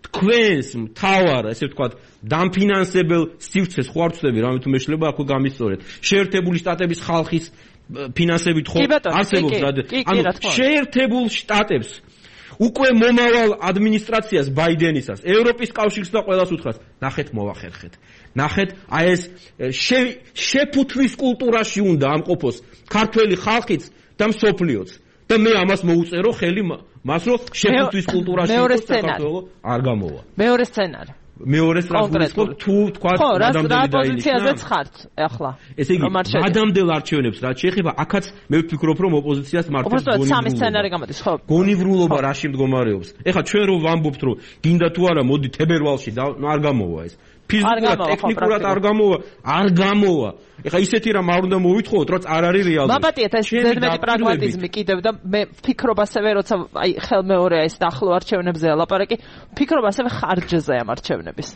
თქვენს მთავარ, ესე ვთქვათ, დამფინანსებელ სივრცეს ხო არ ვწდები, რამე თუ მეშლება აქვე გამისწორეთ. შეერთებული შტატების ხალხის ფინანსებით ხო არსებობს რა. ანუ შეერთებულ შტატებს უკვე მომავალ ადმინისტრაციას ბაიდენისას, ევროპის კავშირს და ყველას უთხრას, ნახეთ მოვახერხეთ. ნახეთ, აი ეს შეფუთვის კულტურაში უნდა ამყოფოს ქართველი ხალხიც და მსოფლიოც. და მე ამას მოუწერო ხელი მას რომ შეფუთვის კულტურაში იყოს საქართველო არ გამოვა. მეორე სცენარი. მეორე სტრატეგია თუ თქვა ადამიანები პოზიციაზეც ხართ ახლა. ესე იგი, ადამიანელ არჩევნებს რაც შეეხება, აქაც მე ვფიქრობ რომ ოპოზიციას მართავს გონივრულობა. სამი სცენარი გამოდის, ხო? გონივრულობა რაში მდგომარეობს. ეხლა ჩვენ რომ ვამბობთ რომ გინდა თუ არა მოდი თებერვალში და არ გამოვა ეს. ფიზიკურად, ტექნიკურად არ გამოვა. ეხლა ისეთი რამ არ უნდა მოვითხოვოთ, რაც არ არის რეალური. მაბატიეთ ეს ზედმეტი პრაგმატიზმი კიდევ და მე ვფიქრობ ასევე როცა აი ხელმეორეა ეს ახლო არჩევნებზე ლაპარაკი, ვფიქრობ ასევე ხარჯზე ამ არჩევნების.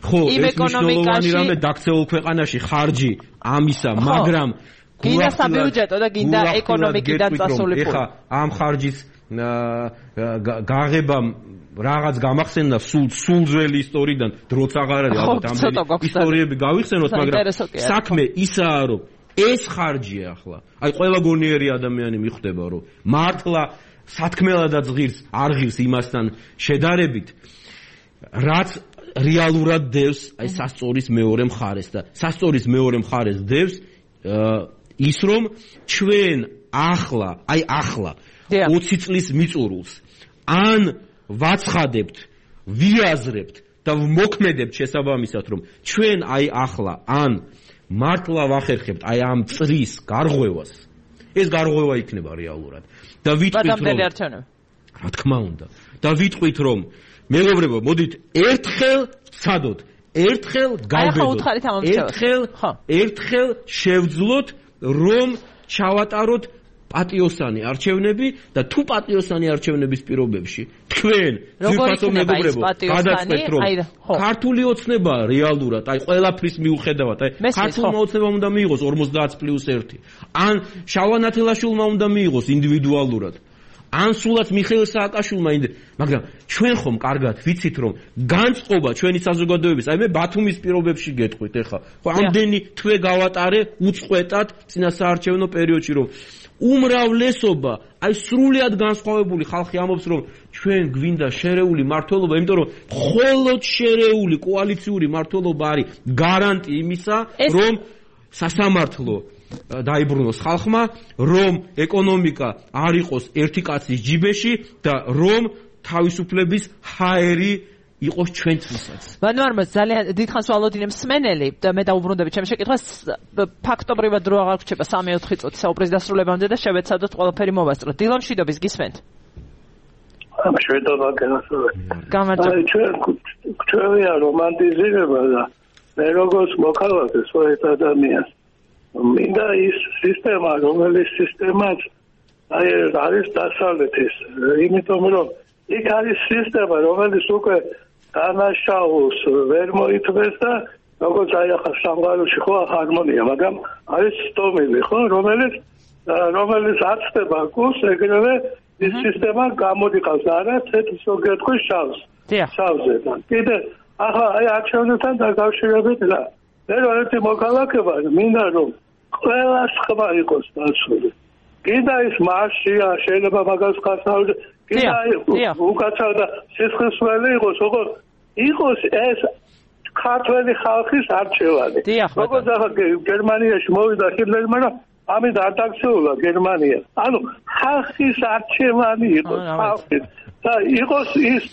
ხო, ეს მნიშვნელოვანი რამე დაქცეულ ქვეყანაში ხარჯი ამისა, მაგრამ გინდა საბიუჯეტო და გინდა ეკონომიკიდან წასული ფული. ეხლა ამ ხარჯის გაღებამ რაღაც გამახსენდა სულ ძველი ისტორიიდან დროც აღარ არის ალბათ ამდენი ისტორიები გავიხსენოთ მაგრამ საქმე ისაა რომ ეს ხარჯია ახლა აი ყველა გონიერი ადამიანი მიხვდება რომ მართლა სათქმელადაც ღირს არ ღირს იმასთან შედარებით რაც რეალურად დევს აი სასწორის მეორე მხარეს და სასწორის მეორე მხარეს დევს ის რომ ჩვენ ახლა 20 წლის მიწურულს ან ვაცხადებთ, ვიაზრებთ და ვმოქმედებთ შესაბამისად, რომ ჩვენ აი ახლა ან მართლა ვახერხებთ აი ამ წრის გარღვევას. ეს გარღვევა იქნება რეალურად. და ვიტყვით რომ რა თქმა უნდა. და ვიტყვით რომ მეგობრებო, მოდით ერთხელ ვცადოთ, ერთხელ გავბედოთ. ერთხელ შევძლოთ რომ ჩავატაროთ პატიოსანი არჩევნები და თუ პატიოსანი არჩევნების პირობებში თქვენ ძირფასო მეგობრებო გადაწყვეტთ რომ ქართული ოცნება რეალურად აი ყველაფრის მიუხედავად აი ქართულმა ოცნებამ უნდა მიიღოს 50+1 ან შავანათელაშვილმა უნდა მიიღოს ინდივიდუალურად ან სულაც მიხეილ სააკაშვილმა მაგრამ ჩვენ ხომ კარგად ვიცით რომ განწყობა ჩვენი საზოგადოების აი მე ბათუმის პირობებში გეტყვით ეხლა ხო ამდენი თვე გავატარე უწყვეტად წინა საარჩევნო პერიოდში რომ უმრავლესობა აი სრულიად განსხვავებული ხალხი ამბობს რომ ჩვენ გვინდა შერეული მართლობა იმიტომ რომ მხოლოდ შერეული კოალიციური მართლობა არის გარანტი იმისა რომ სასამართლო დაიბრუნოს ხალხმა რომ ეკონომიკა არ იყოს ერთი კაცის ჯიბეში და რომ თავისუფლების ჰაერი იყოს ჩვენთვისაც. ვანوارმა ძალიან დიდხანს ვალოდინე მსმენელი და მე დაუბრუნდები ჩემს შეკითხვას ფაქტობრივად დრო აღარ გრჩება 3-4 წუთი საუბრის დასრულებამდე და შევეცადოთ ყველაფერი მოვასწროთ. დილონ მშვიდობის გისმენთ? მშვიდობა გასულეთ. გამარჯობა. ჩვენია რომანტიზირება და მე როგორც მოქალაქე სწორედ ადამიანს მინდა ის სისტემა რომელიც სისტემაც აი არის დასავლეთის იმიტომ რომ იქ არის სისტემა რომელიც უკვე დანაშაულს ვერ მოითმეს და როგორც აი ახლა სამყაროში ხო ჰარმონია მაგრამ არის სტომილი ხო რომელიც აცდება გულს ეგრევე ის სისტემა გამოდიყავს არა თეთრ სოგეთქვის შავზე და კიდე ახლა აი არჩევნებთან დაკავშირებით რა მე ერთი მოქალაქე ვარ მინდა რომ ყველა სხვა იყოს დაცული კიდე ის მარშია შეიძლება მაგას ხასავდე კიდე უკაცრავ და სისხლისმელი იყოს როგორ იყოს ეს ქართველი ხალხის არჩევანი როგორც ახლა გერმანიაში მოვიდა ჰიტლერი მაგრამ ამით არ დაქცეულა გერმანია ანუ ხალხის არჩევანი იყოს ხალხის და იყოს ის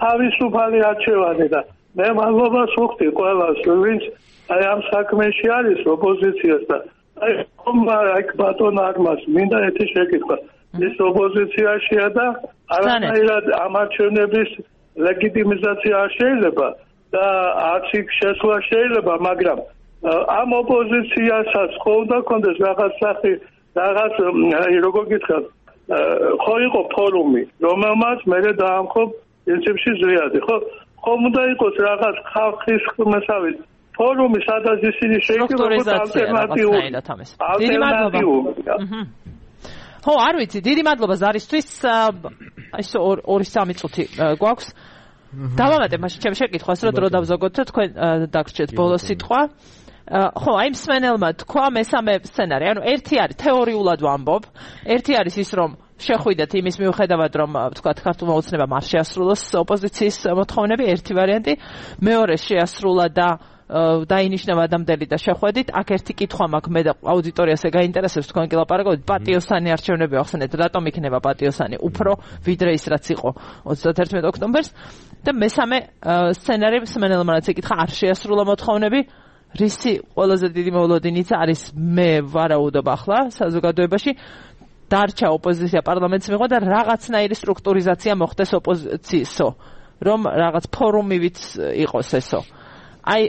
თავისუფალი არჩევანი და მე მადლობას ვუხდი ყველას ვინც აი ამ საქმეში არის ოპოზიციას და აი ბატონ არმას მინდა ერთი შეკითხვა ის ოპოზიციაშია და არანაირად ამ არჩევნების ლეგიტიმიზაცია არ შეიძლება და არც იქ შესვლა შეიძლება მაგრამ ამ ოპოზიციასაც ხო უნდა კონდეს რაღაც სახი რაღაც აი როგორ გითხრათ ხო იყო ფორუმი რომელმაც მე დაამხო პრინციპში ზრიადი ხო ხომ უნდა იყოს რაღაც ხალხის მასავით ფორუმი სადაც ისინი შეიქმნებოდა ალტერნატიულ. ხო, არ ვიცი, დიდი მადლობა ზარისთვის. ეს 2-3 წუთი გვაქვს. დავამატებ მაშინ ჩემს შეკითხვას, რომ დრო დავზოგოთ და თქვენ დაგრჩეთ ბოლოს სიტყვა. ხო, აი მსმენელმა თქვა მესამე სცენარი. ანუ ერთი არის თეორიულად ვამბობ, ერთი არის ის რომ შეხვიდეთ იმის მიუხედავად რომ ვთქვათ ქართულმა ოცნებამ არ შეასრულოს ოპოზიციის მოთხოვნები, ერთი ვარიანტი, მეორე შეასრულა და დაინიშნა ადამიანები და შეხვედით. აქ ერთი კითხვა მაქვს მე და აუდიტორიას ეგაინტერესებს თქვენ კი ლაპარაკობთ პატიოსანი არჩევნები ახსენეთ რატომ იქნება პატიოსანი უფრო ვიდრე ის რაც იყო 31 ოქტომბერს და მესამე სცენარი მსმენელმა რაც ეკითხა არ შეასრულა მოთხოვნები რისი ყველაზე დიდი მოლოდინიც არის მე ვარაუდობ ახლა საზოგადოებაში დარჩა ოპოზიცია პარლამენტს მიიღო და რაღაცნაირი სტრუქტურიზაცია მოხდეს ოპოზიციისო რომ რაღაც ფორუმივით იყოს ესო აი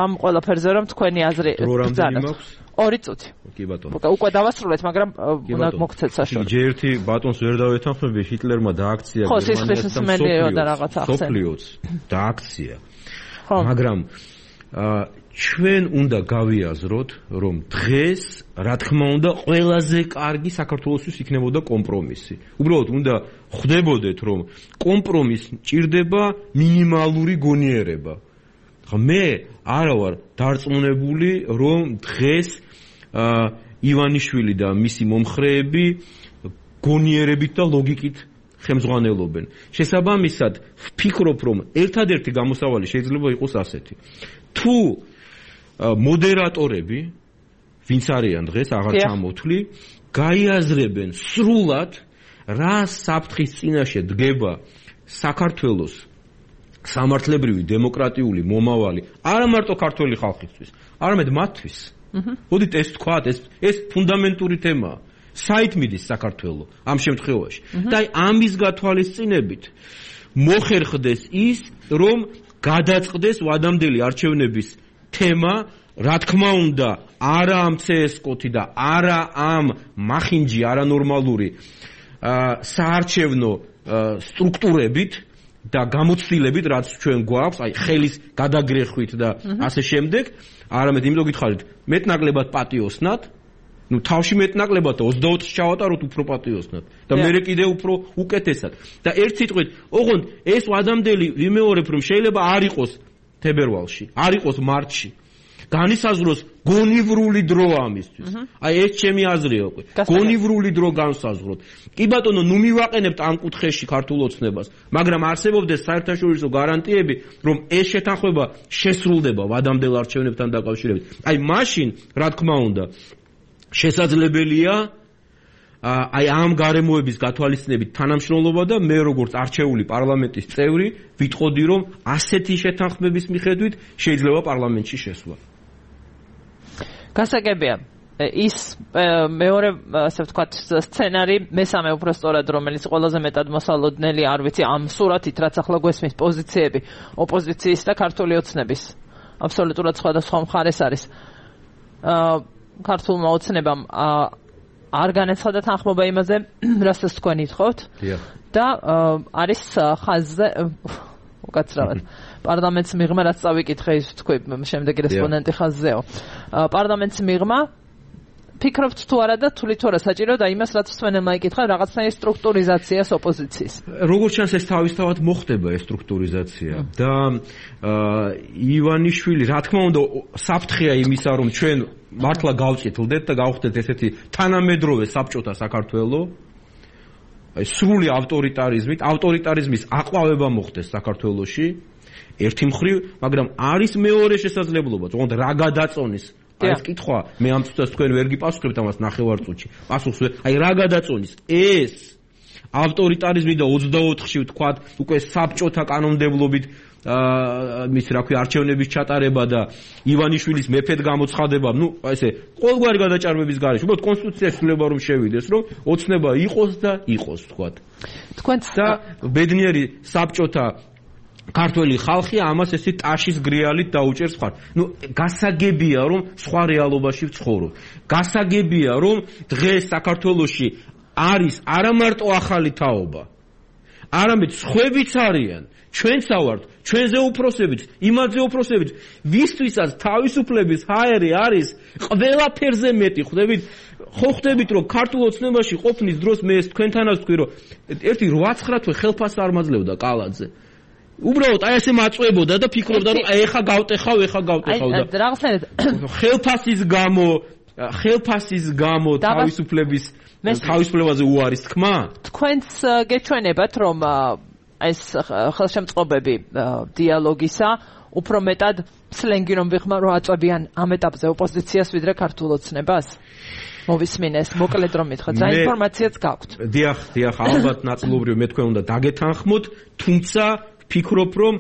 ამ ყველაფერზე რომ თქვენი აზრი ბრძანოთ 2 წუთი კი ბატონო უკვე დავასრულეთ მაგრამ უნდა მოგცეთ საშუალო ჯერ ერთი ბატონს ვერ დავეთანხმები ჰიტლერმა დააქცია გერმანიას და რაღაცა სოფლიოც დააქცია მაგრამ ჩვენ უნდა გავიაზროთ რომ დღეს რა თქმა უნდა ყველაზე კარგი საქართველოსთვის იქნებოდა კომპრომისი უბრალოდ უნდა ხვდებოდეთ რომ კომპრომისს ჭირდება მინიმალური გონიერება მე არა ვარ დარწმუნებული რომ დღეს ივანიშვილი და მისი მომხრეები გონიერებით და ლოგიკით ხელმძღვანელობენ შესაბამისად ვფიქრობ რომ ერთადერთი გამოსავალი შეიძლება იყოს ასეთი თუ მოდერატორები ვინც არიან დღეს აღარ ჩამოთვლი გაიაზრებენ სრულად რა საფრთხის წინაშე დგება საქართველოს სამართლებრივი დემოკრატიული მომავალი არა მარტო ქართული ხალხისთვის არამედ მათთვის მოდით ეს თქვათ ეს ფუნდამენტური თემაა საით მიდის საქართველო ამ შემთხვევაში და ამის გათვალისწინებით მოხერხდეს ის რომ გადაწყდეს ვადამდელი არჩევნების თემა რა თქმა უნდა არა ამ CSKOT-ი და არა ამ მახინჯი არანორმალური საარჩევნო სტრუქტურებით და გამოცდილებით რაც ჩვენ გვაქვს აი ხელის გადაგრეხვით და ასე შემდეგ არამედ იმიტომ გითხარით მეტნაკლებად პატიოსნად ну თავში მეტნაკლებად 24-ს ჩავატაროთ უფრო პატიოსნად და მე კიდე უფრო უკეთესად და ერთ სიტყვით ოღონდ ეს ვადამდელი ვიმეორებ რომ შეიძლება არ იყოს თებერვალში არ იყოს მარტში განისაზღვროს გონივრული დრო ამისთვის აი ეს ჩემი აზრია უკვე გონივრული დრო განსაზღვროთ კი ბატონო ნუ მივაყენებთ ამ კუთხეში ქართულ ოცნებას მაგრამ არსებობდეს საერთაშორისო გარანტიები რომ ეს შეთანხმება შესრულდება ვადამდელ არჩევნებთან დაკავშირებით აი მაშინ რა თქმა უნდა შესაძლებელია აი ამ გარემოების გათვალისწინებით თანამშრომლობა და მე როგორც არჩეული პარლამენტის წევრი ვიტყოდი რომ ასეთი შეთანხმების მიხედვით შეიძლება პარლამენტში შესვლა გასაგებია ის მეორე ასე ვთქვათ სცენარი მესამე უფრო სწორად რომელიც ყველაზე მეტად მოსალოდნელი არ ვიცი ამ სურათით რაც ახლა გვესმის პოზიციები ოპოზიციის და ქართული ოცნების აბსოლუტურად სხვადასხვა მხარეს არის ქართულმა ოცნებამ არ განაცხადა თანხმობა იმაზე რასაც თქვენ ითხოვთ და არის ხაზზე უკაცრავად პარლამენტს მიღმა რაც წავიკითხე ის თქვი შემდეგი რესპონდენტი ხაზზეო პარლამენტს მიღმა ფიქრობთ თუ არა და თვლით თუ არა საჭირო და იმას რაც მსმენელმა იკითხა რაღაცნაირი სტრუქტურიზაციას ოპოზიციის როგორც ჩანს ეს თავისთავად მოხდება ეს სტრუქტურიზაცია და ივანიშვილი რა თქმა უნდა საფრთხეა იმისა რომ ჩვენ მართლა გავწითლდეთ და გავხდეთ ესეთი თანამედროვე საბჭოთა საქართველო აი სრული ავტორიტარიზმის აყვავება მოხდეს საქართველოში ერთი მხრივ მაგრამ არის მეორე შესაძლებლობა თუმცა რა გადაწონის აი ეს კითხვა მე ამ წუთას თქვენ ვერ გიპასუხებთ ამას ნახევარწუთში პასუხს აი რა გადაწონის ეს ავტორიტარიზმი და 24-ში ვთქვათ უკვე საბჭოთა კანონმდებლობით მის რა ქვია არჩევნების ჩატარება და ივანიშვილის მეფედ გამოცხადება ნუ ესე ყოველგვარი გადაჭარბების გარეშე უბრალოდ კონსტიტუციაში შეიძლება რომ შევიდეს რომ ოცნება იყოს და იყოს ვთქვათ თქვენც და ბედნიერი საბჭოთა ქართველი ხალხი ამას ესე ტაშის გრიალით დაუჭერს ხარ. ნუ გასაგებია რომ სხვა რეალობაში ვცხოვრობ. გასაგებია რომ დღეს საქართველოში არის არა მარტო ახალი თაობა. არამედ სხვებიც არიან. ჩვენც ავართ, ჩვენზე უფროსებიც, იმაზე უფროსებიც, ვისთვისაც თავისუფლების ჰაერი არის ყველაფერზე მეტი. ხვდებით, რომ ქართულ ოცნებაში ყოფნის დროს მე ეს თქვენთანაც ვთქვი, რომ ერთი 8-9 თვე ხელფასს არ მაძლევდა კალაძე. უბრალოდ აი ესე მაწვებოდა და ფიქრობდა, რომ ეხა გავტეხავ და ხელფასის გამო თავისუფლებაზე უარის თქმა. თქვენც გეჩვენებათ, რომ ეს ხელშემწყობები დიალოგისა უფრო მეტად სლენგი რომ ვიხმარ, რომ აწვევიან ამ ეტაპზე ოპოზიციას ვიდრე ქართულ ოცნებას. მოვისმინეს, მოკლედ რომ მითხრათ, რა ინფორმაციაც გაქვთ. დიახ, ალბათ ნაწილობრივ მე თქვენ უნდა დაგეთანხმოთ, თუმცა ვფიქრობ, რომ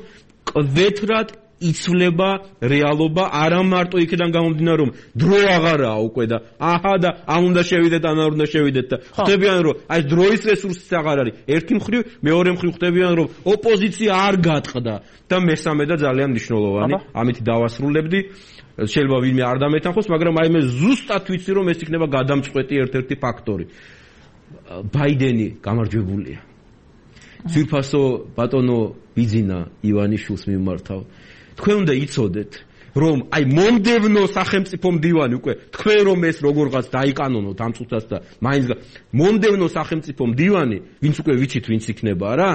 კვეთრად იცვლება რეალობა, არა მარტო იქიდან გამომდინარე, რომ დრო აღარაა უკვე და აჰა და ამ უნდა შევიდეთ, ამ არ უნდა შევიდეთ და ხვდებიან, რომ აი დროის რესურსიც აღარ არის. ერთი მხრივ, მეორე მხრივ ხვდებიან, რომ ოპოზიცია არ გატყდა და მესამე და ძალიან მნიშვნელოვანი, ამით დავასრულებდი. შეიძლება ვინმე არ დამეთანხოს, მაგრამ აი მე ზუსტად ვიცი, რომ ეს იქნება გადამწყვეტი ერთ-ერთი ფაქტორი. ბაიდენი გამარჯვებულია. ძვირფასო ბატონო ბიძინა ივანიშვილს მიმართავ. თქვენ უნდა იცოდეთ, რომ აი მომდევნო სახელმწიფო მდივანი უკვე თქვენ რომ ეს როგორღაც დაიკანონოთ ამ წუთას და მაინც მომდევნო სახელმწიფო მდივანი, ვინც უკვე ვიცით ვინც იქნება რა,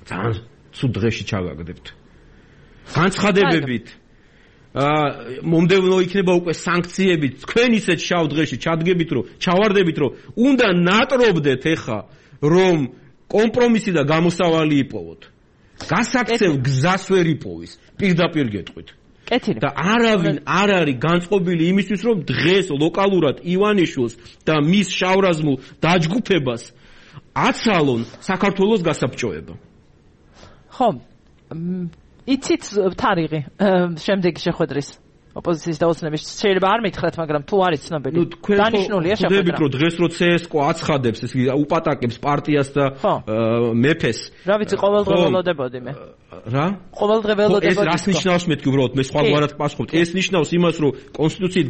ძალიან ცუდ დღეში ჩავაგდებთ. განცხადებებით მომდევნო იქნება უკვე სანქციები, თქვენ ისეთ შავ დღეში ჩადგებით, რომ ჩავარდებით, რომ უნდა ნატრობდეთ ეხა, რომ კომპრომისი და გამოსავალი იპოვოთ. გასაქცევ გზას ვერ იპოვის, პირდაპირ გეტყვით. და არავინ არ არის განწყობილი იმისთვის, რომ დღეს ლოკალურად ივანიშვილს და მის შავრაზმულ დაჯგუფებას აცალონ საქართველოს გასაბჭოება. ხო, იცით თარიღი შემდეგი შეხვედრის ოპოზიციის და ოცნების შეიძლება არ მითხრათ, მაგრამ თუ არის ცნობილი. დანიშნულია შეხვედრა. ხვდებით, რომ დღეს რო CSKO აცხადებს, ეს უპატაკებს პარტიას და მეფეს. რა ვიცი, ყოველდღე ველოდებოდი მე. რა? ყოველდღე ველოდებოდი. ეს რას ნიშნავს მეთქი უბრალოდ მე სხვაგვარად პასუხობ. ეს ნიშნავს იმას, რომ კონსტიტუციით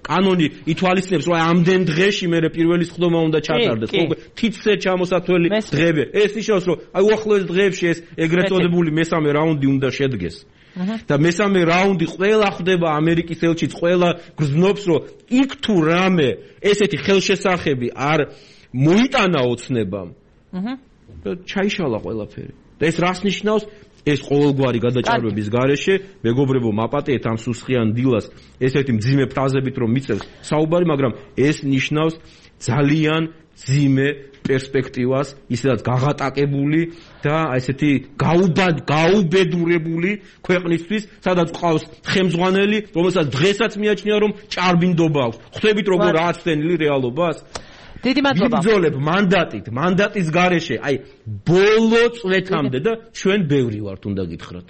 კანონი ითვალისწინებს, რომ ამდენ დღეში მე პირველი სხდომა უნდა ჩატარდეს. თითზე ჩამოსათველი დღეები. ეს ნიშნავს, რომ აი უახლოეს დღეებში ეს ეგრეთ წოდებული მესამე რაუნდი უნდა შედგეს. და მესამე რაუნდი ყველა ხვდება ამერიკის ელჩიც, ყველა გრძნობს, რომ იქ თუ რამე ესეთი ხელშესახები არ მოიტანა ოცნებამ. და ჩაიშალა ყველაფერი. და ეს რას ნიშნავს? ეს ყოველგვარი გადაჭარბების გარეშე, მეგობრებო, მაპატიეთ ამ სუსხიან დილას ესეთი მძიმე ფრაზებით რომ მიწევს საუბარი, მაგრამ ეს ნიშნავს ძალიან მძიმე პერსპექტივას, ისედაც გაღატაკებული და ესეთი გაუბედურებული ქვეყნისთვის, სადაც ყავს ხელმძღვანელი, რომელსაც დღესაც მიაჩნია, რომ ჭარბინდობა აქვს. ხვდებით როგორ ააცდენილი რეალობას? დიდი მადლობა. ვიბრძოლებ მანდატის გარეშე, აი ბოლო წლეთამდე და ჩვენ ბევრი ვართ, უნდა გითხრათ.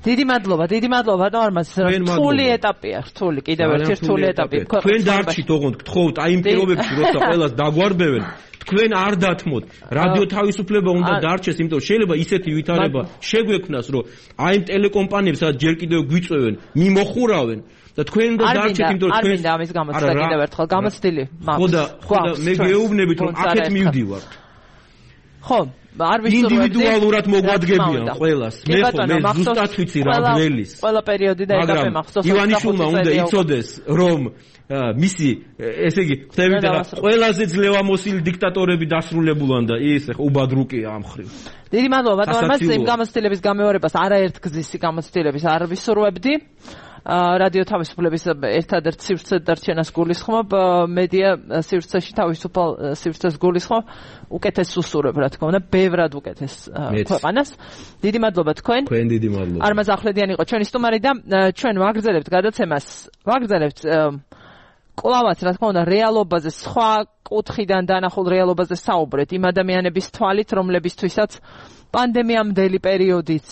დიდი მადლობა, ბატონ არმაზ. რთული ეტაპია, კიდევ ერთი რთული ეტაპი. თქვენ დარჩით, ოღონდ გთხოვთ, აი იმ პირობებში, როცა ყველას დაგვარბევენ, თქვენ არ დათმოთ. რადიო თავისუფლება უნდა დარჩეს, იმიტომ შეიძლება ისეთი ვითარება შეგვექმნას, რომ აი იმ ტელეკომპანიებს, სადაც ჯერ კიდევ გვიწევენ, მიმოხურავენ. და თქვენ უნდა დარჩეთ, იმიტომ რომ არ მინდა ამის გამოცდა კიდევ ერთხელ გამოცდილი მაქვს. ხო და მე გეუბნებით, რომ აქეთ მივდივართ. ხო, არ ვისურვებდი. ინდივიდუალურად მოგვადგებიან ყველას. მე ზუსტად ვიცი რა გველის. ყველა პერიოდი და ეტაპი მახსოვს. ივანიშვილმა უნდა იცოდეს, რომ მისი, ესე იგი, ხვდებით რა, ყველაზე ძლევამოსილი დიქტატორები დასრულებულან და ის უბადრუკია ამ ხრივ. დიდი მადლობა, ბატონ არმაზ, იმ გამოცდილების გამეორებას არაერთგზისი გამოცდილების არ ვისურვებდი. რადიო თავისუფლების ერთადერთ სივრცედ დარჩენას გულისხმობ, მედია სივრცეში თავისუფალ სივრცეს გულისხმობ, უკეთეს უსურვებ, რა თქმა უნდა, ბევრად უკეთეს ქვეყანას. დიდი მადლობა თქვენ. თქვენ დიდი მადლობა. არმაზ ახვლედიანი იყო ჩვენი სტუმარი და ჩვენ ვაგრძელებთ გადაცემას, კლავაც, რა თქმა უნდა, რეალობაზე, სხვა კუთხიდან დანახულ რეალობაზე საუბრეთ, იმ ადამიანების თვალით, რომლებისთვისაც პანდემიამდელი პერიოდიც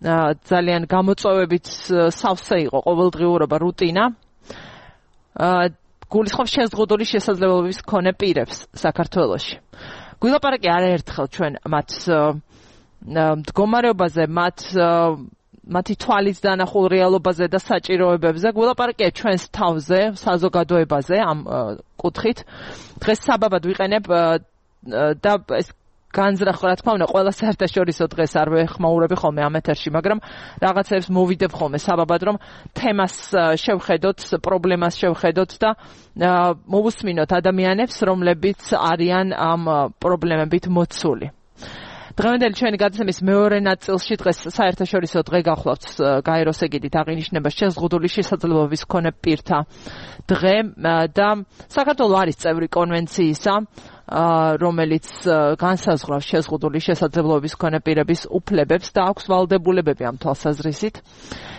ძალიან გამოწვევებით სავსე იყო ყოველდღიურობა, რუტინა. გულისხმობ შეზღუდული შესაძლებლობების მქონე პირებს საქართველოში. გვილაპარაკე არაერთხელ ჩვენ მათ მდგომარეობაზე, მათი თვალით დანახულ რეალობაზე და საჭიროებებზე. გვილაპარაკე ჩვენს თავზე, საზოგადოებაზე ამ კუთხით. დღეს საბაბად ვიყენებ და ეს განზრახ რა თქმა უნდა ყველა საერთაშორისო დღეს არ ვეხმაურები ხოლმე ამ ეთერში, მაგრამ რაღაცებს მოვიდებ ხოლმე საბაბად რომ თემას შევხედოთ, პრობლემას შევხედოთ და მოვუსმინოთ ადამიანებს, რომლებიც არიან ამ პრობლემებით მოცული. დღევანდელი ჩვენი გადაცემის მეორე ნაწილში დღეს საერთაშორისო დღე გახლავთ გაეროს ეგიდით აღინიშნება შეზღუდული შესაძლებლობის მქონე პირთა დღე და საქართველოს არის წევრი კონვენციისა, რომელიც განსაზღვრავს შეზღუდული შესაძლებლობის მქონე პირების უფლებებს და აქვს ვალდებულებები ამ თვალსაზრისით.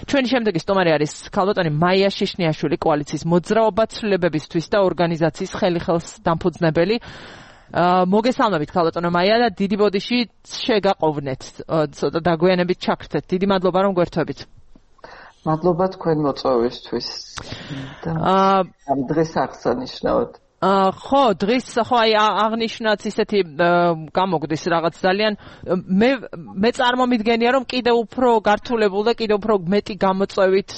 ჩვენი შემდეგი სტუმარი არის ქალბატონი მაია შიშნიაშვილი, კოალიციის მოძრაობა ცვლილებებისთვის და ორგანიზაციის ხელიხელს დამფუძნებელი. მოგესალმებით ქალბატონო მაია და დიდი ბოდიში შეგაყოვნეთ, ცოტა დაგვიანებით ჩაგრთეთ. დიდი მადლობა რომ გვერთვებით. მადლობა თქვენ მოწვევისთვის. ამ დღეს აღსანიშნავად. ხო, დღის ხო აი აღნიშნაც ისეთი გამოგვდის რაღაც ძალიან მე წარმომიდგენია რომ კიდევ უფრო გართულებულ და კიდევ უფრო მეტი გამოწვევით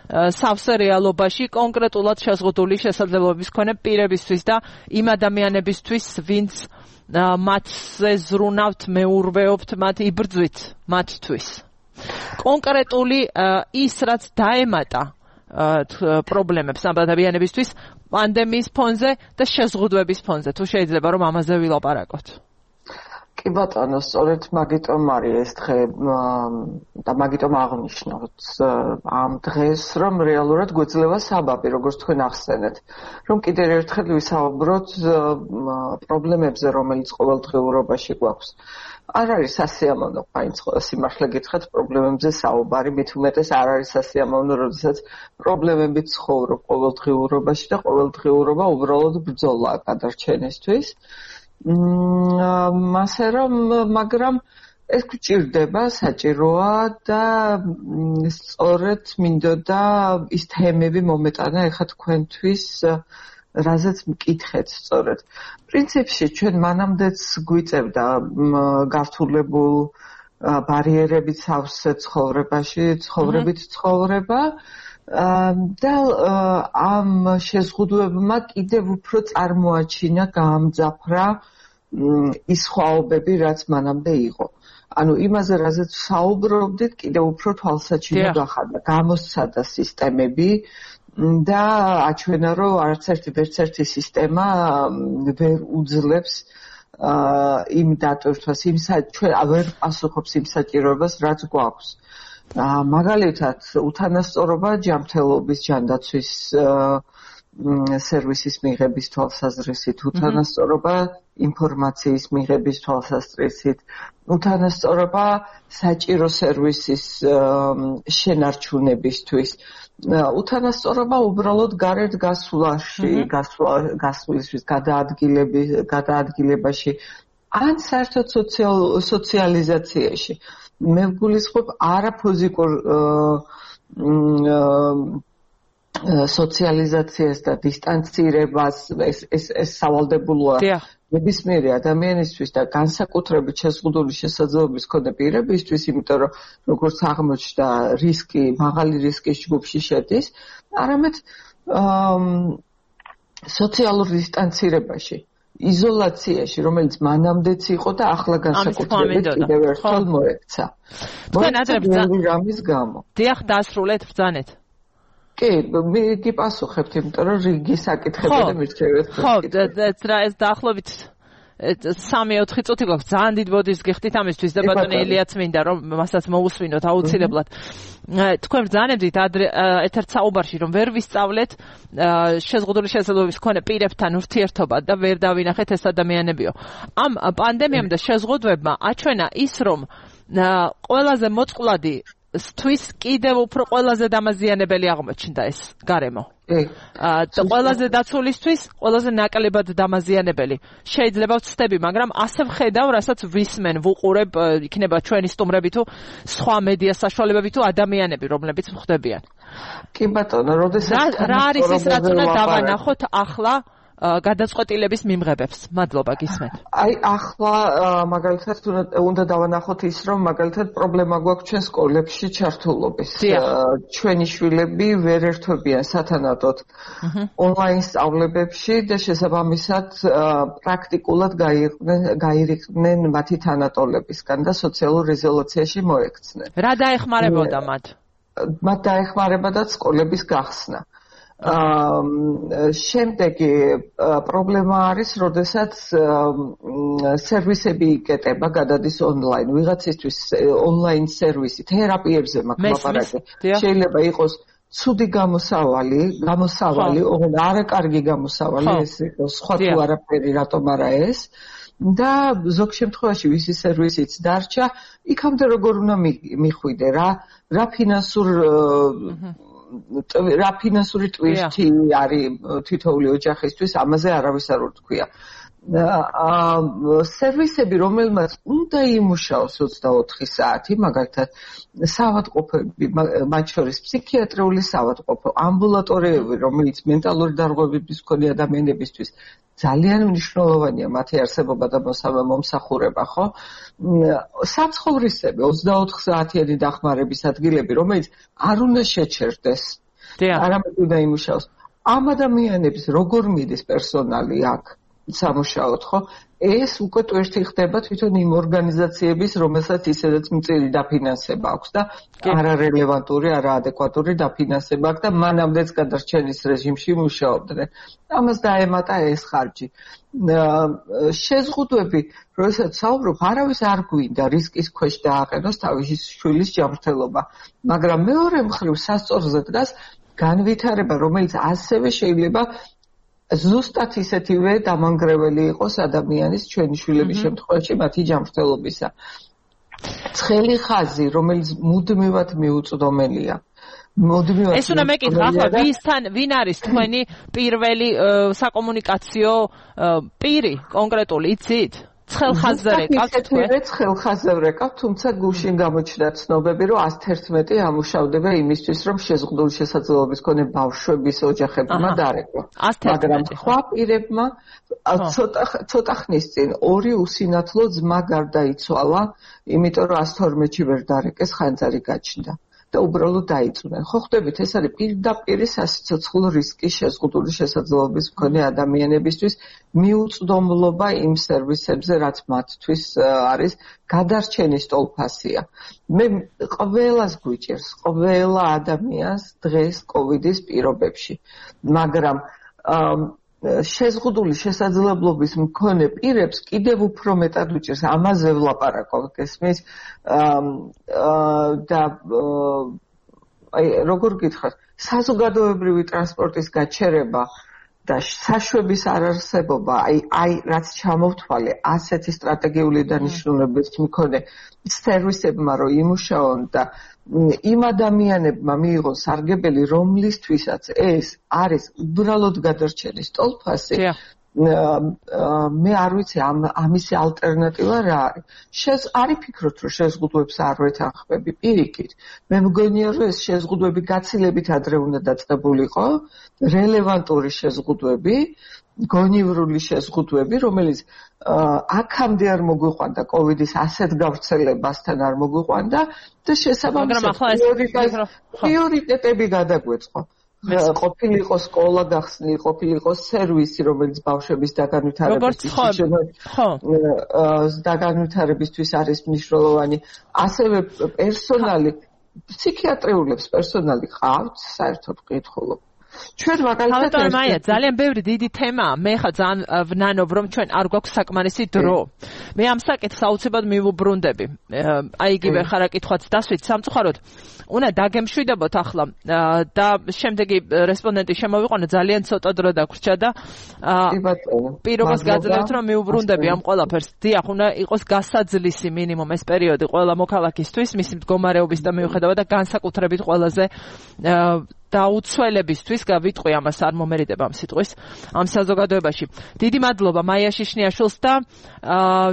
სავსე რეალობაში კონკრეტულად შეზღუდული შესაძლებლობის მქონე პირებისთვის და იმ ადამიანებისთვის, ვინც მათზე ზრუნავთ, მეურვეობთ, მათ იბრძვით მათთვის. კონკრეტული ის რაც დაემატა პრობლემებს ამ ადამიანებისთვის პანდემიის ფონზე და შეზღუდვების ფონზე. თუ შეიძლება რომ ამაზე ვილაპარაკოთ. კი ბატონო, სწორედ მაგიტომ არის ეს დღე და მაგიტომ აღნიშნავთ ამ დღეს, რომ რეალურად გვეძლევა საბაბი, როგორც თქვენ ახსენეთ, რომ კიდევ ერთხელ ვისაუბროთ პრობლემებზე, რომელიც ყოველდღიურობაში გვაქვს. არ არის სასიამოვნო, სიმართლე გითხრათ, პრობლემებზე საუბარი, მით უმეტეს არ არის სასიამოვნო, როდესაც პრობლემებით ცხოვრობ ყოველდღიურობაში და ყოველდღიურობა უბრალოდ ბრძოლაა გადარჩენისთვის. მასე რომ, მაგრამ ეს გვჭირდება, საჭიროა და სწორედ მინდოდა ის თემები მომეტანა ეხლა თქვენთვის, რაზეც მკითხეთ სწორედ. პრინციპში ჩვენ მანამდეც გვიწევდა გართულებულ ბარიერებით სავსე ცხოვრებაში, ცხოვრებით ცხოვრება და ამ შეზღუდვებმა კიდევ უფრო წარმოაჩინა, გაამძაფრა ის ხვაობები, რაც მანამდე იყო. ანუ იმაზე, რაზეც საუბრობდით, კიდევ უფრო თვალსაჩინო გახადა, გამოსცადა სისტემები და აჩვენა, რომ არც ერთი სისტემა ვერ უძლებს იმ დატვირთვას, ჩვენ ვერ პასუხობს იმ საჭიროებას, რაც გვაქვს. მაგალითად, უთანასწორობა ჯანმრთელობის ჯანდაცვის სერვისის მიღების თვალსაზრისით, უთანასწორობა ინფორმაციის მიღების თვალსაზრისით, უთანასწორობა საჭირო სერვისის შენარჩუნებისთვის, უთანასწორობა უბრალოდ გარეთ გასვლისთვის, გადაადგილებაში, ან საერთოდ სოციალიზაციაში. მე ვგულისხმობ არაფიზიკურ სოციალიზაციას და დისტანცირებას, ეს სავალდებულოა ნებისმიერი ადამიანისთვის და განსაკუთრებით შეზღუდული შესაძლებლობის მქონე პირებისთვის, იმიტომ რომ როგორც აღმოჩნდა, მაღალი რისკის ჯგუფში შედის, არამედ სოციალურ დისტანცირებაში, იზოლაციაში, რომელიც მანამდეც იყო და ახლა განსაკუთრებით კიდევ ერთხელ მოექცა. რამის გამო. დიახ, დასრულეთ, ბრძანეთ. კი, გიპასუხებთ, იმიტომ რომ რიგი საკითხები და მირჩევეთ. ხო, ეს დაახლოებით 3-4 წუთი გვაქვს, ძალიან დიდ ბოდიშს გიხდით ამისთვის და ბატონი ელიაც მინდა რომ მასაც მოусვინოთ აუცილებლად. თქვენ ბრძანებდით ეთერთ საუბარში რომ ვერ ვისწავლეთ შეზღუდული შესაძლებლობის მქონე პირებთან ურთიერთობა და ვერ დავინახეთ ეს ადამიანებიო. ამ პანდემიამ და შეზღუდვებმა აჩვენა ის რომ ყველაზე მოწყვლადი თვის კიდევ უფრო ყველაზე დამაზიანებელი აღმოჩნდა ეს გარემო. ყველაზე დაცულისთვის ყველაზე ნაკლებად დამაზიანებელი. შეიძლება ვცდები, მაგრამ ასე ვხედავ, რასაც ვისმენ, ვუყურებ, იქნება ჩვენი სტუმრები თუ სხვა მედია საშუალებები თუ ადამიანები, რომლებიც ვხვდებიან. კი ბატონო, როდესაც რა არის ის, რაც უნდა დავანახოთ ახლა გადაწყვეტილების მიმღებებს. მადლობა, გისმენთ. აი ახლა მაგალითად უნდა დავანახოთ ის, რომ მაგალითად პრობლემა გვაქვს ჩვენ სკოლებში ჩართულობის. ჩვენი შვილები ვერ ერთვებიან სათანადოდ ონლაინ სწავლებებში და შესაბამისად პრაქტიკულად გაირიყვნენ მათი თანატოლებისგან და სოციალურ იზოლაციაში მოექცნენ. რა დაეხმარებოდა მათ? მათ დაეხმარებოდა სკოლების გახსნა. შემდეგი პრობლემა არის, როდესაც სერვისები იკეტება, გადადის ონლაინ. ვიღაცისთვის ონლაინ სერვისი, თერაპიებზე მაქვს. შეიძლება იყოს ცუდი გამოსავალი, არაკარგი გამოსავალი, ეს იყოს სხვა თუ არაფერი, რატომ არა ეს. და ზოგ შემთხვევაში ვისი სერვისიც დარჩა, იქამდე როგორ უნდა მიხვიდე, რა ფინანსური ტვირთი არის თითოეული ოჯახისთვის, ამაზე არავის არ უთქვია. სერვისები, რომელმაც უნდა იმუშაოს 24 საათი, მაგალითად, საავადმყოფოები, მათ შორის ფსიქიატრიული საავადმყოფო, ამბულატორიები, რომელიც მენტალური დარღვევების მქონე ადამიანებისთვის ძალიან მნიშვნელოვანია მათი არსებობა და მომსახურება, ხო? საცხოვრისები, 24 საათიანი დახმარების ადგილები, რომელიც არ უნდა შეჩერდეს. არამედ უნდა იმუშაოს. ამ ადამიანების როგორ მიდის პერსონალი აქ სამუშაოდ, ხო? ეს უკვე ტვირთი ხდება თვითონ იმ ორგანიზაციების, რომელსაც ისედაც მწირი დაფინანსება აქვს და არარელევანტური, არაადეკვატური დაფინანსება აქვს და მანამდეც გადარჩენის რეჟიმში მუშაობდნენ. ამას დაემატა ეს ხარჯი. შეზღუდვები, როდესაც საუბრობ, არავის არ გვინდა რისკის ქვეშ დააყენოს თავისი შვილის ჯანმრთელობა, მაგრამ მეორე მხრივ სასწორზე დგას განვითარება, რომელიც ასევე შეიძლება ზუსტად ისეთივე დამანგრეველი იყოს ადამიანის ჩვენი შვილების შემთხვევაში მათი ჯანმრთელობისა. ცხელი ხაზი, რომელიც მუდმივად მიუწვდომელია. ეს უნდა მეკითხა, ახლა ვინ არის თქვენი პირველი საკომუნიკაციო პირი კონკრეტული, იცით? ცხელხაზზე რეკავთ თქვენ? ცხელხაზზე ვრეკავთ, თუმცა გუშინ გამოჩნდა ცნობები, რომ 111 ამუშავდება იმისთვის, რომ შეზღუდული შესაძლებლობის მქონე ბავშვების ოჯახებმა დარეკვა. მაგრამ სხვა პირებმა ცოტა ხნის წინ ორი უსინათლო ძმა გარდაიცვალა, იმიტომ რომ 112-ში ვერ დარეკეს, ხანძარი გაჩნდა. და უბრალოდ დაიწუნენ. ხო ხვდებით, ეს არის პირდაპირ სასიცოცხლო რისკი შეზღუდული შესაძლებლობის მქონე ადამიანებისთვის მიუწვდომლობა იმ სერვისებზე, რაც მათთვის არის გადარჩენის ტოლფასია. მე ყველას გვიჭერს, ყველა ადამიანს დღეს კოვიდის პირობებში, მაგრამ შეზღუდული შესაძლებლობის მქონე პირებს კიდევ უფრო მეტად უჭირს ამაზე ვლაპარაკობ გესმის და აი როგორ გითხრათ საზოგადოებრივი ტრანსპორტის გაჩერება და საშვების არარსებობა აი რაც ჩამოვთვალე ასეთი სტრატეგიული დანიშნულების მქონე სერვისებმა რომ იმუშაონ და იმ ადამიანებმა მიიღონ სარგებელი რომლისთვისაც ეს არის უბრალოდ გადარჩენის ტოლფასი მე არ ვიცი ამისი ალტერნატივა რა არის არ ვფიქრობ რომ შეზღუდვებს არ ვეთანხმები პირიქით მე მგონია რომ ეს შეზღუდვები გაცილებით ადრე უნდა დაწყებულიყო რელევანტური შეზღუდვები გონივრული შეზღუდვები რომელიც აქამდე არ მოგვიყვანდა კოვიდის ასეთ გავრცელებასთან არ მოგვიყვანდა და შესაბამისად პრიორიტეტები გადაგვეწყო ყოფილიყო სკოლა გახსნილი ყოფილიყო სერვისი რომელიც ბავშვების დაგანვითარებისთვის არის მნიშვნელოვანი ასევე პერსონალი ფსიქიატრიულებს პერსონალი ყავთ საერთოდ ვკითხულობ ჩვენ მაგალითად მაია ძალიან ბევრი დიდი თემაა მე ხა ძალიან ვნანობ რომ ჩვენ არ გვაქვს საკმარისი დრო მე ამ საკითხს აუცილებლად მივუბრუნდები აი იგივე ხარაკითხვაც დასვით სამწუხაროდ უნდა დაგემშვიდებოთ ახლა და შემდეგი რესპონდენტი შემოვიყვანა ძალიან ცოტა დრო დაგვრჩა და პირობას გაძლევთ რომ მივუბრუნდები ამ ყველაფერს დიახ უნდა იყოს გასაძლისი მინიმუმ ეს პერიოდი ყველა მოქალაქისთვის მისი მდგომარეობის და მიუხედავად და განსაკუთრებით ყველაზე დაუცველებისთვის გავიტყვი ამას არ მომერიდება ამ სიტყვის ამ საზოგადოებაში. დიდი მადლობა მაია შიშნიაშვილს და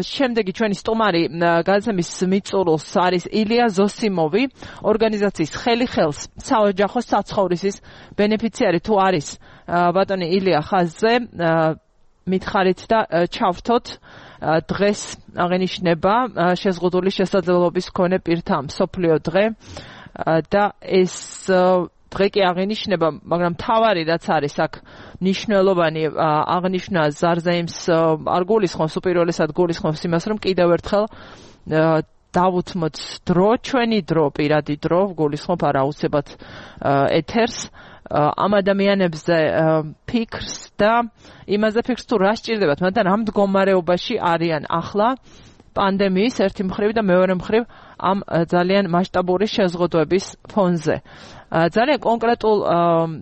შემდეგი ჩვენი სტუმარი გადაცემის მიწურულს არის ილია ზოსიმოვი, ორგანიზაციის ხელი ხელს საოჯახო საცხოვრისის ბენეფიციარი თუ არის ბატონი ილია ხაზზე მითხარით და ჩავრთოთ დღეს აღენიშნება შეზღუდული შესაძლებლობის მქონე პირთა მსოფლიო დღე და ეს დღე კი აღენიშნება, მაგრამ თავარი რაც არის აქ ნიშნულოვანი აღნიშნა ზარზეიმს არ გულისხმობს უპირველესად გულისხმობს იმას, რომ კიდევ ერთხელ დავუთმოთ დრო, ჩვენი დრო, პირადი დრო, გულისხმობ არა აუცილებლად ეთერს ამ ადამიანებზე ფიქრს და იმაზე ფიქრს თუ რა სჭირდებათ, მაგრამ რამ მდგომარეობაში არიან ახლა პანდემიის ერთი მხრივ და მეორე მხრივ ამ ძალიან მასშტაბური შეზღუდვების ფონზე. ძალიან კონკრეტულ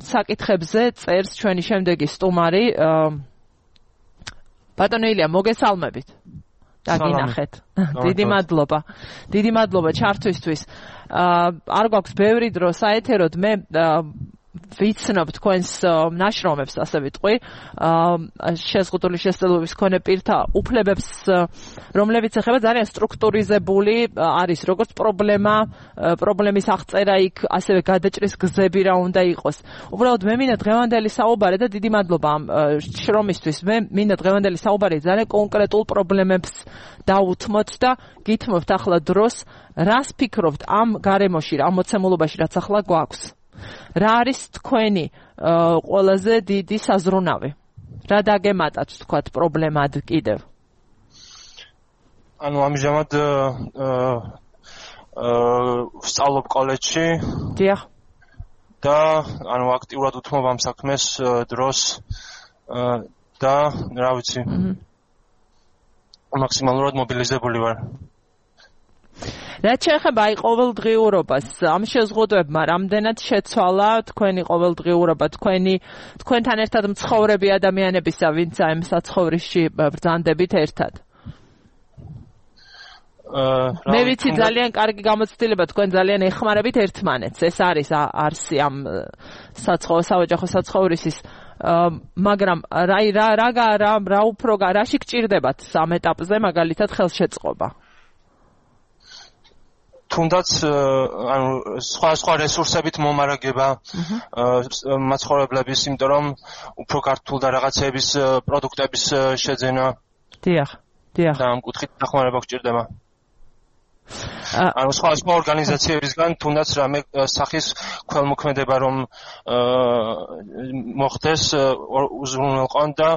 საკითხებზე წერს ჩვენი შემდეგი სტუმარი ბატონო ილია, მოგესალმებით. დაგინახეთ. დიდი მადლობა. დიდი მადლობა ჩართვისთვის. არ გვაქვს ბევრი დრო საეთეროდ, მე ვიცნობ თქვენს ნაშრომებს, ასე ვიტყვი, შეზღუდული შესაძლებლობის მქონე პირთა უფლებებს, რომლებიც ეხება ძალიან სტრუქტურიზებული არის, როგორც პრობლემის აღწერა იქ, ასევე გადაჭრის გზები რა უნდა იყოს. უბრალოდ მე მინდა დღევანდელი საუბარი და დიდი მადლობა ამ შრომისთვის. მე მინდა დღევანდელი საუბარი ძალიან კონკრეტულ პრობლემებს დავუთმოთ და გითმობთ ახლა დროს, რას ფიქრობთ ამ გარემოში, ამ მოცემულობაში, რაც ახლა გვაქვს. რა არის თქვენი ყველაზე დიდი საზრუნავი? რა დაგემატათ თქვათ პრობლემად კიდევ? ანუ ამჟამად ვსწავლობ კოლეჯში. დიახ. და ანუ აქტიურად უთმობ ამ საქმეს დროს და რა ვიცი. მაქსიმალურად მობილიზებული ვარ. რაც შეეხება აი ყოველდღიურობას, ამ შეზღუდვებმა რამდენად შეცვალა თქვენი ყოველდღიურობა, თქვენთან ერთად მცხოვრები ადამიანებისა, ვინც ამ საცხოვრისში ბრძანდებით ერთად? მე ვიცი ძალიან კარგი გამოცდილება, თქვენ ძალიან ეხმარებით ერთმანეთს. ეს არის არსი ამ საოჯახო საცხოვრისის, მაგრამ რა უფრო რაში გჭირდებათ ამ ეტაპზე მაგალითად ხელშეწყობა? თუნდაც ანუ სხვა რესურსებით მომარაგება მაცხოვრებლების, იმიტომ რომ უფრო ქართულ და რაღაცების პროდუქტების შეძენა. დიახ. და ამ კუთხით დახმარება გჭირდება. ანუ სხვა ორგანიზაციებისგან თუნდაც რამე სახის ქველმოქმედება რომ მოხდეს უზრუნველყონ და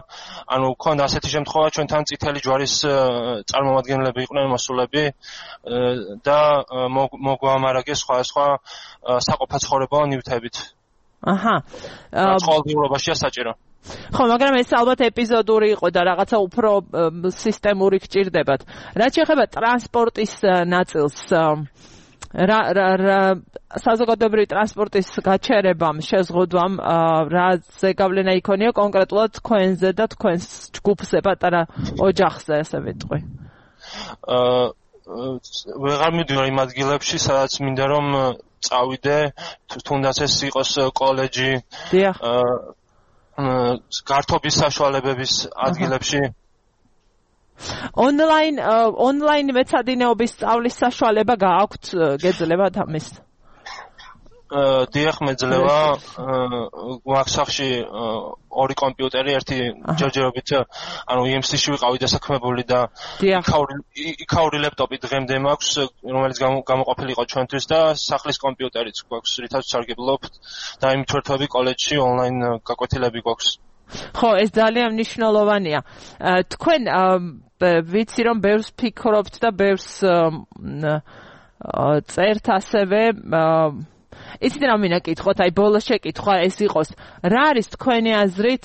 ანუ ქონდა ასეთი შემთხვევა, ჩვენთან წითელი ჯვარის წარმომადგენლები იყვნენ მოსულები და მოგვამარაგეს სხვა საყოფაცხოვრებო ნივთებით. აჰა. ყოველდღიურობაშია საჭირო. ხო, მაგრამ ეს ალბათ ეპიზოდური იყო და რაღაცა უფრო სისტემური გჭირდებათ. რაც შეეხება ტრანსპორტის ნაწილს, საზოგადოებრივი ტრანსპორტის გაჩერებამ, შეზღუდვამ, რაზე გავლენა იქონია კონკრეტულად თქვენზე და თქვენს ჯგუფზე, პატარა ოჯახზე, ასე ვიტყვი. ვეღარ მივდივარ იმ ადგილებში, სადაც მინდა რომ წავიდე, თუნდაც ეს იყოს კოლეჯი. დიახ. გართობის საშუალებების ადგილებში. ონლაინ მეცადინეობის სწავლის საშუალება გააქვთ, გეძლებათ ამის? დიახ, მეძლევა. გვაქვს სახში ორი კომპიუტერი, ერთი ჯერჯერობით, ანუ EMC-ში ვიყავი დასაქმებული და იქაური ლეპტოპი დღემდე მაქვს, რომელიც გამოყოფილი იყო ჩვენთვის და სახლის კომპიუტერიც გვაქვს, რითაც ვსარგებლობთ და იმ თვერთვები კოლეჯში ონლაინ გაკვეთილები გვაქვს. ხო, ეს ძალიან მნიშვნელოვანია. თქვენ ვიცი რომ ბევრს ფიქრობთ და ბევრს წერთ ასევე იცით რა მინდა კითხოთ, აი ბოლოს შეკითხვა ეს იყოს, რა არის თქვენი აზრით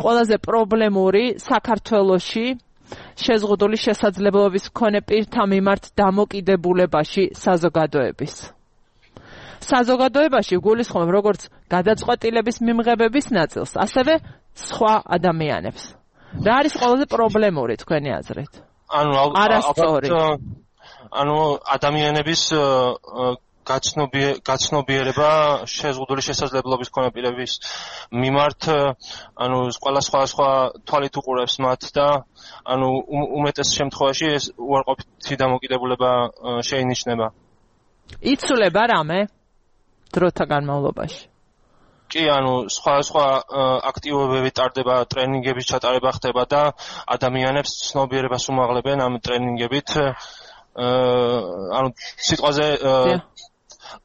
ყველაზე პრობლემური საქართველოში შეზღუდული შესაძლებლობის მქონე პირთა მიმართ დამოკიდებულებაში საზოგადოების? საზოგადოებაში გულისხმობ როგორც გადაწყვეტილების მიმღებების ნაწილს, ასევე სხვა ადამიანებს. რა არის ყველაზე პრობლემური თქვენი აზრით? ანუ არასწორი. ანუ ადამიანების გაცნობიერება შეზღუდული შესაძლებლობის მქონე პირების მიმართ, ანუ სხვა თვალით უყურებს მათ და ანუ უმეტეს შემთხვევაში ეს უარყოფითი დამოკიდებულება შეინიშნება. იცვლება რამე დროთა განმავლობაში? კი, ანუ სხვა აქტივობები ტარდება, ტრენინგების ჩატარება ხდება და ადამიანებს ცნობიერებას უმაღლებენ ამ ტრენინგებით. ანუ სიტყვაზე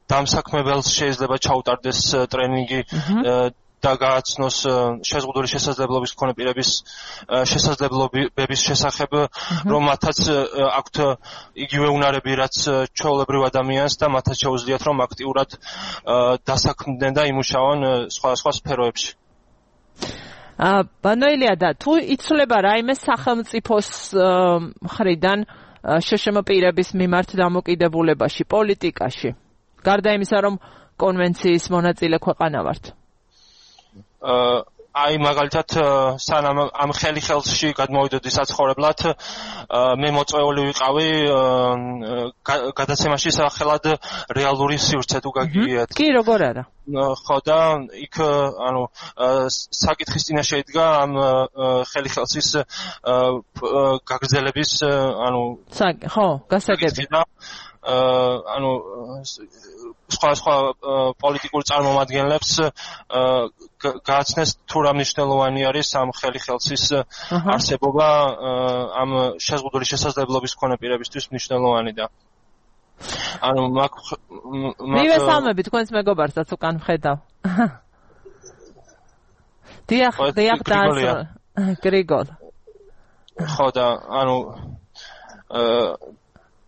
დამსაქმებელს შეიძლება ჩაუტარდეს ტრენინგი და გააცნოს შეზღუდული შესაძლებლობის მქონე პირების შესაძლებლობების შესახებ, რომ მათაც აქვთ იგივე უნარები, რაც ჩვეულებრივ ადამიანს და მათაც შეუძლიათ, რომ აქტიურად დასაქმდნენ და იმუშაონ სხვა სფეროებში. ბანოილია და თუ იცვლება რაიმე სახელმწიფოს მხრიდან შშმ პირების მიმართ დამოკიდებულებაში, პოლიტიკაში, გარდა იმისა, რომ კონვენციის მონაწილე ქვეყანა ვართ? აი მაგალითად სანამ ამ ხელში გადმოვიდოდი საცხოვრებლად მე მოწვეული ვიყავი გადაცემაში სახელად რეალური სივრცე თუ გაგიგიათ. კი, როგორ არა? ხო და იქ ანუ საკითხის წინაშე იდგა ამ ხელის გაგრძელების ანუ ხო, გასაგები. ანუ სხვა პოლიტიკურ წარმომადგენლებს გააცნეს თუ რა მნიშვნელოვანი არის ამ ხელის არსებობა ამ შეზღუდული შესაძლებლობის მქონე პირებისთვის მნიშვნელოვანი და ანუ მივესალმები თქვენს მეგობარსაც უკან ვხედავ. დიახ, გრიგოლ. ხო და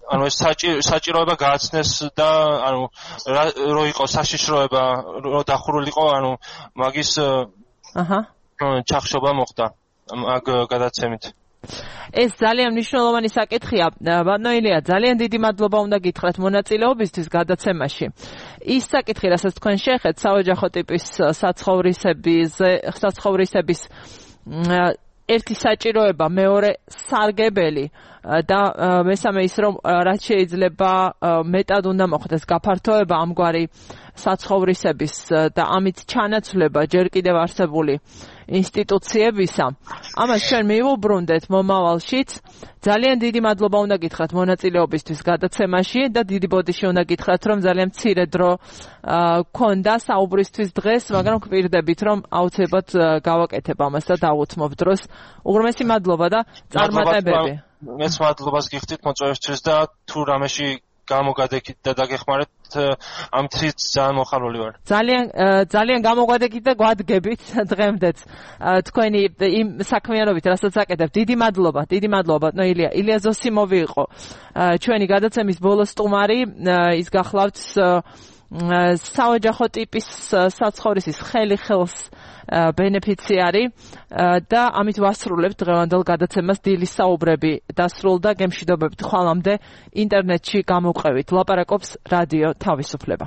ანუ ეს საჭიროება გააცნეს და ანუ რო იყო საშიშროება, რო დახურულიყო, ანუ მაგის ჩახშობა მოხდა მაგ გადაცემით. ეს ძალიან მნიშვნელოვანი საკითხია. ბანოილია, ძალიან დიდი მადლობა უნდა გითხრათ მონაწილეობისთვის გადაცემაში. ის საკითხი, რასაც თქვენ შეეხეთ, საოჯახო ტიპის საცხოვრისების ერთი საჭიროება, მეორე სარგებელი და მესამე ის, რომ რაც შეიძლება მეტად უნდა მოხდეს გაფართოება ამგვარი საცხოვრისების და ამით ჩანაცვლება ჯერ კიდევ არსებული ინსტიტუციებისა. ამას ჩვენ მივუბრუნდეთ მომავალშიც. ძალიან დიდი მადლობა უნდა გითხრათ მონაწილეობისთვის გადაცემაში და დიდი ბოდიში უნდა გითხრათ, რომ ძალიან მცირე დრო გქონდა საუბრისთვის დღეს, მაგრამ გვპირდებით, რომ აუცილებლად გავაკეთებ ამას და დავუთმობ დროს. უღრმესი მადლობა და წარმატებები. მეც მადლობას გიხდით მოწვევისთვის და თუ რამეში გამოგადექით და დაგეხმარეთ ამ თვით ძალიან მოხარული ვარ. ძალიან გამოგადექით და გვადგებით დღემდეც თქვენი იმ საქმიანობით, რასაც აკეთებთ. დიდი მადლობა ბატონო ილია ზოსიმოვი იყო ჩვენი გადაცემის ბოლო სტუმარი. ის გახლავთ საოჯახო ტიპის საცხოვრისის ხელს ბენეფიციარი და ამით ვასრულებთ დღევანდელ გადაცემას. დილის საუბრები დასრულდა, გემშვიდობებით ხვალამდე ინტერნეტში გამოვყევით. ლაპარაკობს რადიო თავისუფლება.